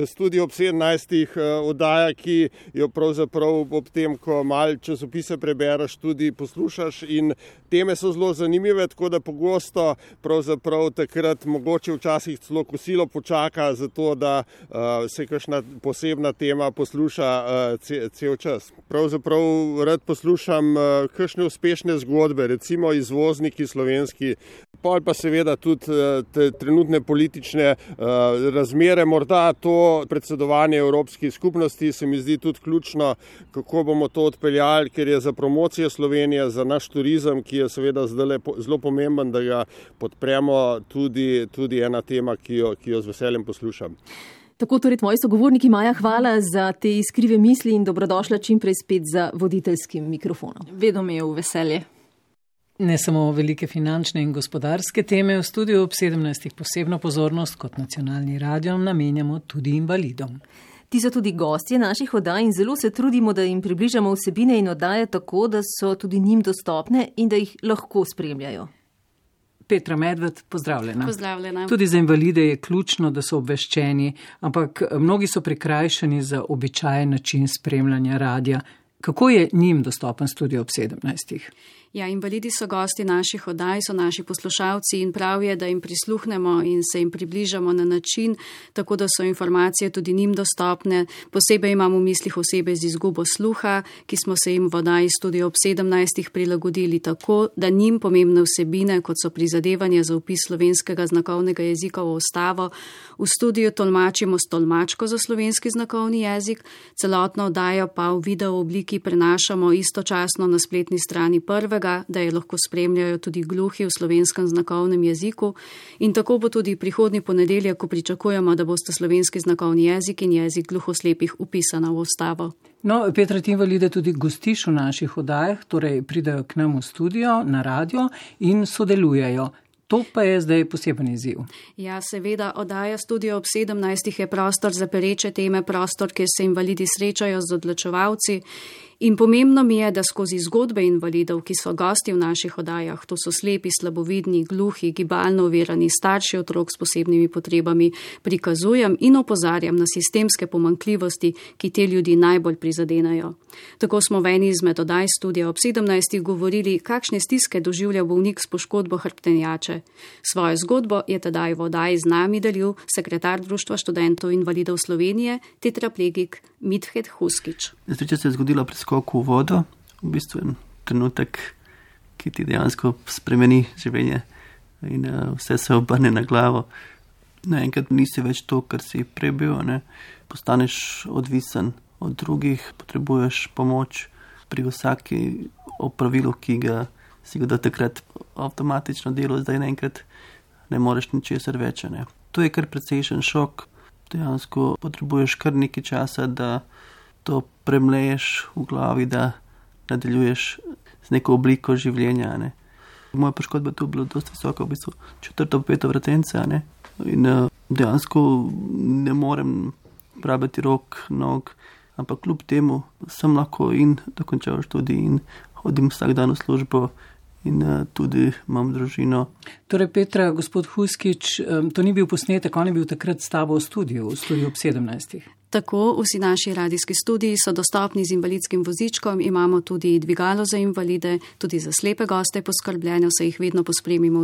Speaker 16: Studio ob sedemnajstih oddaja, ki jo pravzaprav ob tem, ko malo časopise prebereš, tudi poslušaš in teme so zelo zanimive, tako da pogosto pravzaprav takrat mogoče včasih celo kosilo počaka za to, da uh, se kakšna posebna tema posluša uh, ce, cel čas. Pravzaprav rad poslušam uh, kakšne uspešne zgodbe, recimo izvozniki slovenski, pol pa seveda tudi uh, te trenutne politične uh, razmere, morda to predsedovanje Evropski skupnosti se mi zdi tudi ključno, kako bomo to odpeljali, ker je za promocijo Slovenije, za naš turizem, ki je seveda zdaj zelo pomemben, da ga podpremo, tudi, tudi ena tema, ki jo, ki jo z veseljem poslušam.
Speaker 7: Tako torej tvoji sogovorniki, Maja, hvala za te iskrive misli in dobrodošla čim prej spet za voditeljskim mikrofonom.
Speaker 12: Vedno mi je v veselje.
Speaker 8: Ne samo velike finančne in gospodarske teme, v studiu ob sedemnajstih posebno pozornost kot nacionalni radio namenjamo tudi invalidom.
Speaker 7: Ti so tudi gostje naših oddaj in zelo se trudimo, da jim približamo vsebine in oddaje tako, da so tudi njim dostopne in da jih lahko spremljajo.
Speaker 8: Petra Medved, pozdravljena.
Speaker 13: Pozdravljena.
Speaker 8: Tudi za invalide je ključno, da so obveščeni, ampak mnogi so prikrajšani za običajen način spremljanja radia. Kako je njim dostopen Studio ob sedemnajstih?
Speaker 13: Ja, invalidi so gosti naših oddaj, so naši poslušalci in prav je, da jim prisluhnemo in se jim približamo na način, tako da so informacije tudi njim dostopne. Posebej imamo v mislih osebe z izgubo sluha, ki smo se jim v oddaji Studio ob sedemnajstih prilagodili tako, da njim pomembne vsebine, kot so prizadevanja za vpis slovenskega znakovnega jezika v ustavo, v studiu tolmačimo s tolmačko za slovenski znakovni jezik, celotno oddajo pa v video obliki prenašamo istočasno na spletni strani prvega, da je lahko spremljajo tudi gluhi v slovenskem znakovnem jeziku in tako bo tudi prihodnji ponedeljek, ko pričakujemo, da boste slovenski znakovni jezik in jezik gluhoslepih upisana v ustavo.
Speaker 8: No, Petra, ti invalide tudi gostiš v naših oddajah, torej pridajo k nam v studio, na radio in sodelujejo. To pa je zdaj poseben izziv.
Speaker 13: Ja, seveda, oddaja Studio ob sedemnajstih je prostor za pereče teme, prostor, kjer se invalidi srečajo z odločevalci. In pomembno mi je, da skozi zgodbe invalidov, ki so gosti v naših oddajah, to so slepi, slabovidni, gluhi, gibalno ovirani, starši otrok s posebnimi potrebami, prikazujem in opozarjam na sistemske pomanjkljivosti, ki te ljudi najbolj prizadenajo. Tako smo v eni izmed oddaj Studia ob sedemnajstih govorili, kakšne stiske doživlja bolnik s poškodbo hrbtenjače. Svojo zgodbo je tedaj v oddaji z nami delil sekretar Društva študentov invalidov Slovenije, tetraplegik Midhed Huskič.
Speaker 14: Nesreča se je zgodila pri skoku v vodo, v bistvu en trenutek, ki ti dejansko spremeni življenje in uh, vse se obrne na glavo. Naenkrat nisi več to, kar si prej bil, ne? Postaneš odvisen od drugih, potrebuješ pomoč pri vsaki opravilu, ki ga si ga do takrat avtomatično delo, zdaj naenkrat ne moreš ničesar več. Ne? To je kar precejšen šok. Dejansko potrebuješ kar nekaj časa, da to premleješ v glavi, da nadaljuješ z neko obliko življenja. Ne. Moja poškodba tu bila dosti visoka, v bistvu četrto, peto vratence, ne. In dejansko ne morem rabiti rok, nog, ampak kljub temu sem lahko in dokončal študij in hodim vsak dan v službo in tudi imam družino.
Speaker 8: Torej, Petra, gospod Huskič, to ni bil posnetek, on je bil takrat s tabo v studiu, v studiu ob sedemnajstih.
Speaker 13: Tako, vsi naši radijski studiji so dostopni z invalidskim vozičkom, imamo tudi dvigalo za invalide, tudi za slepe goste poskrbljeno, se jih vedno pospremimo v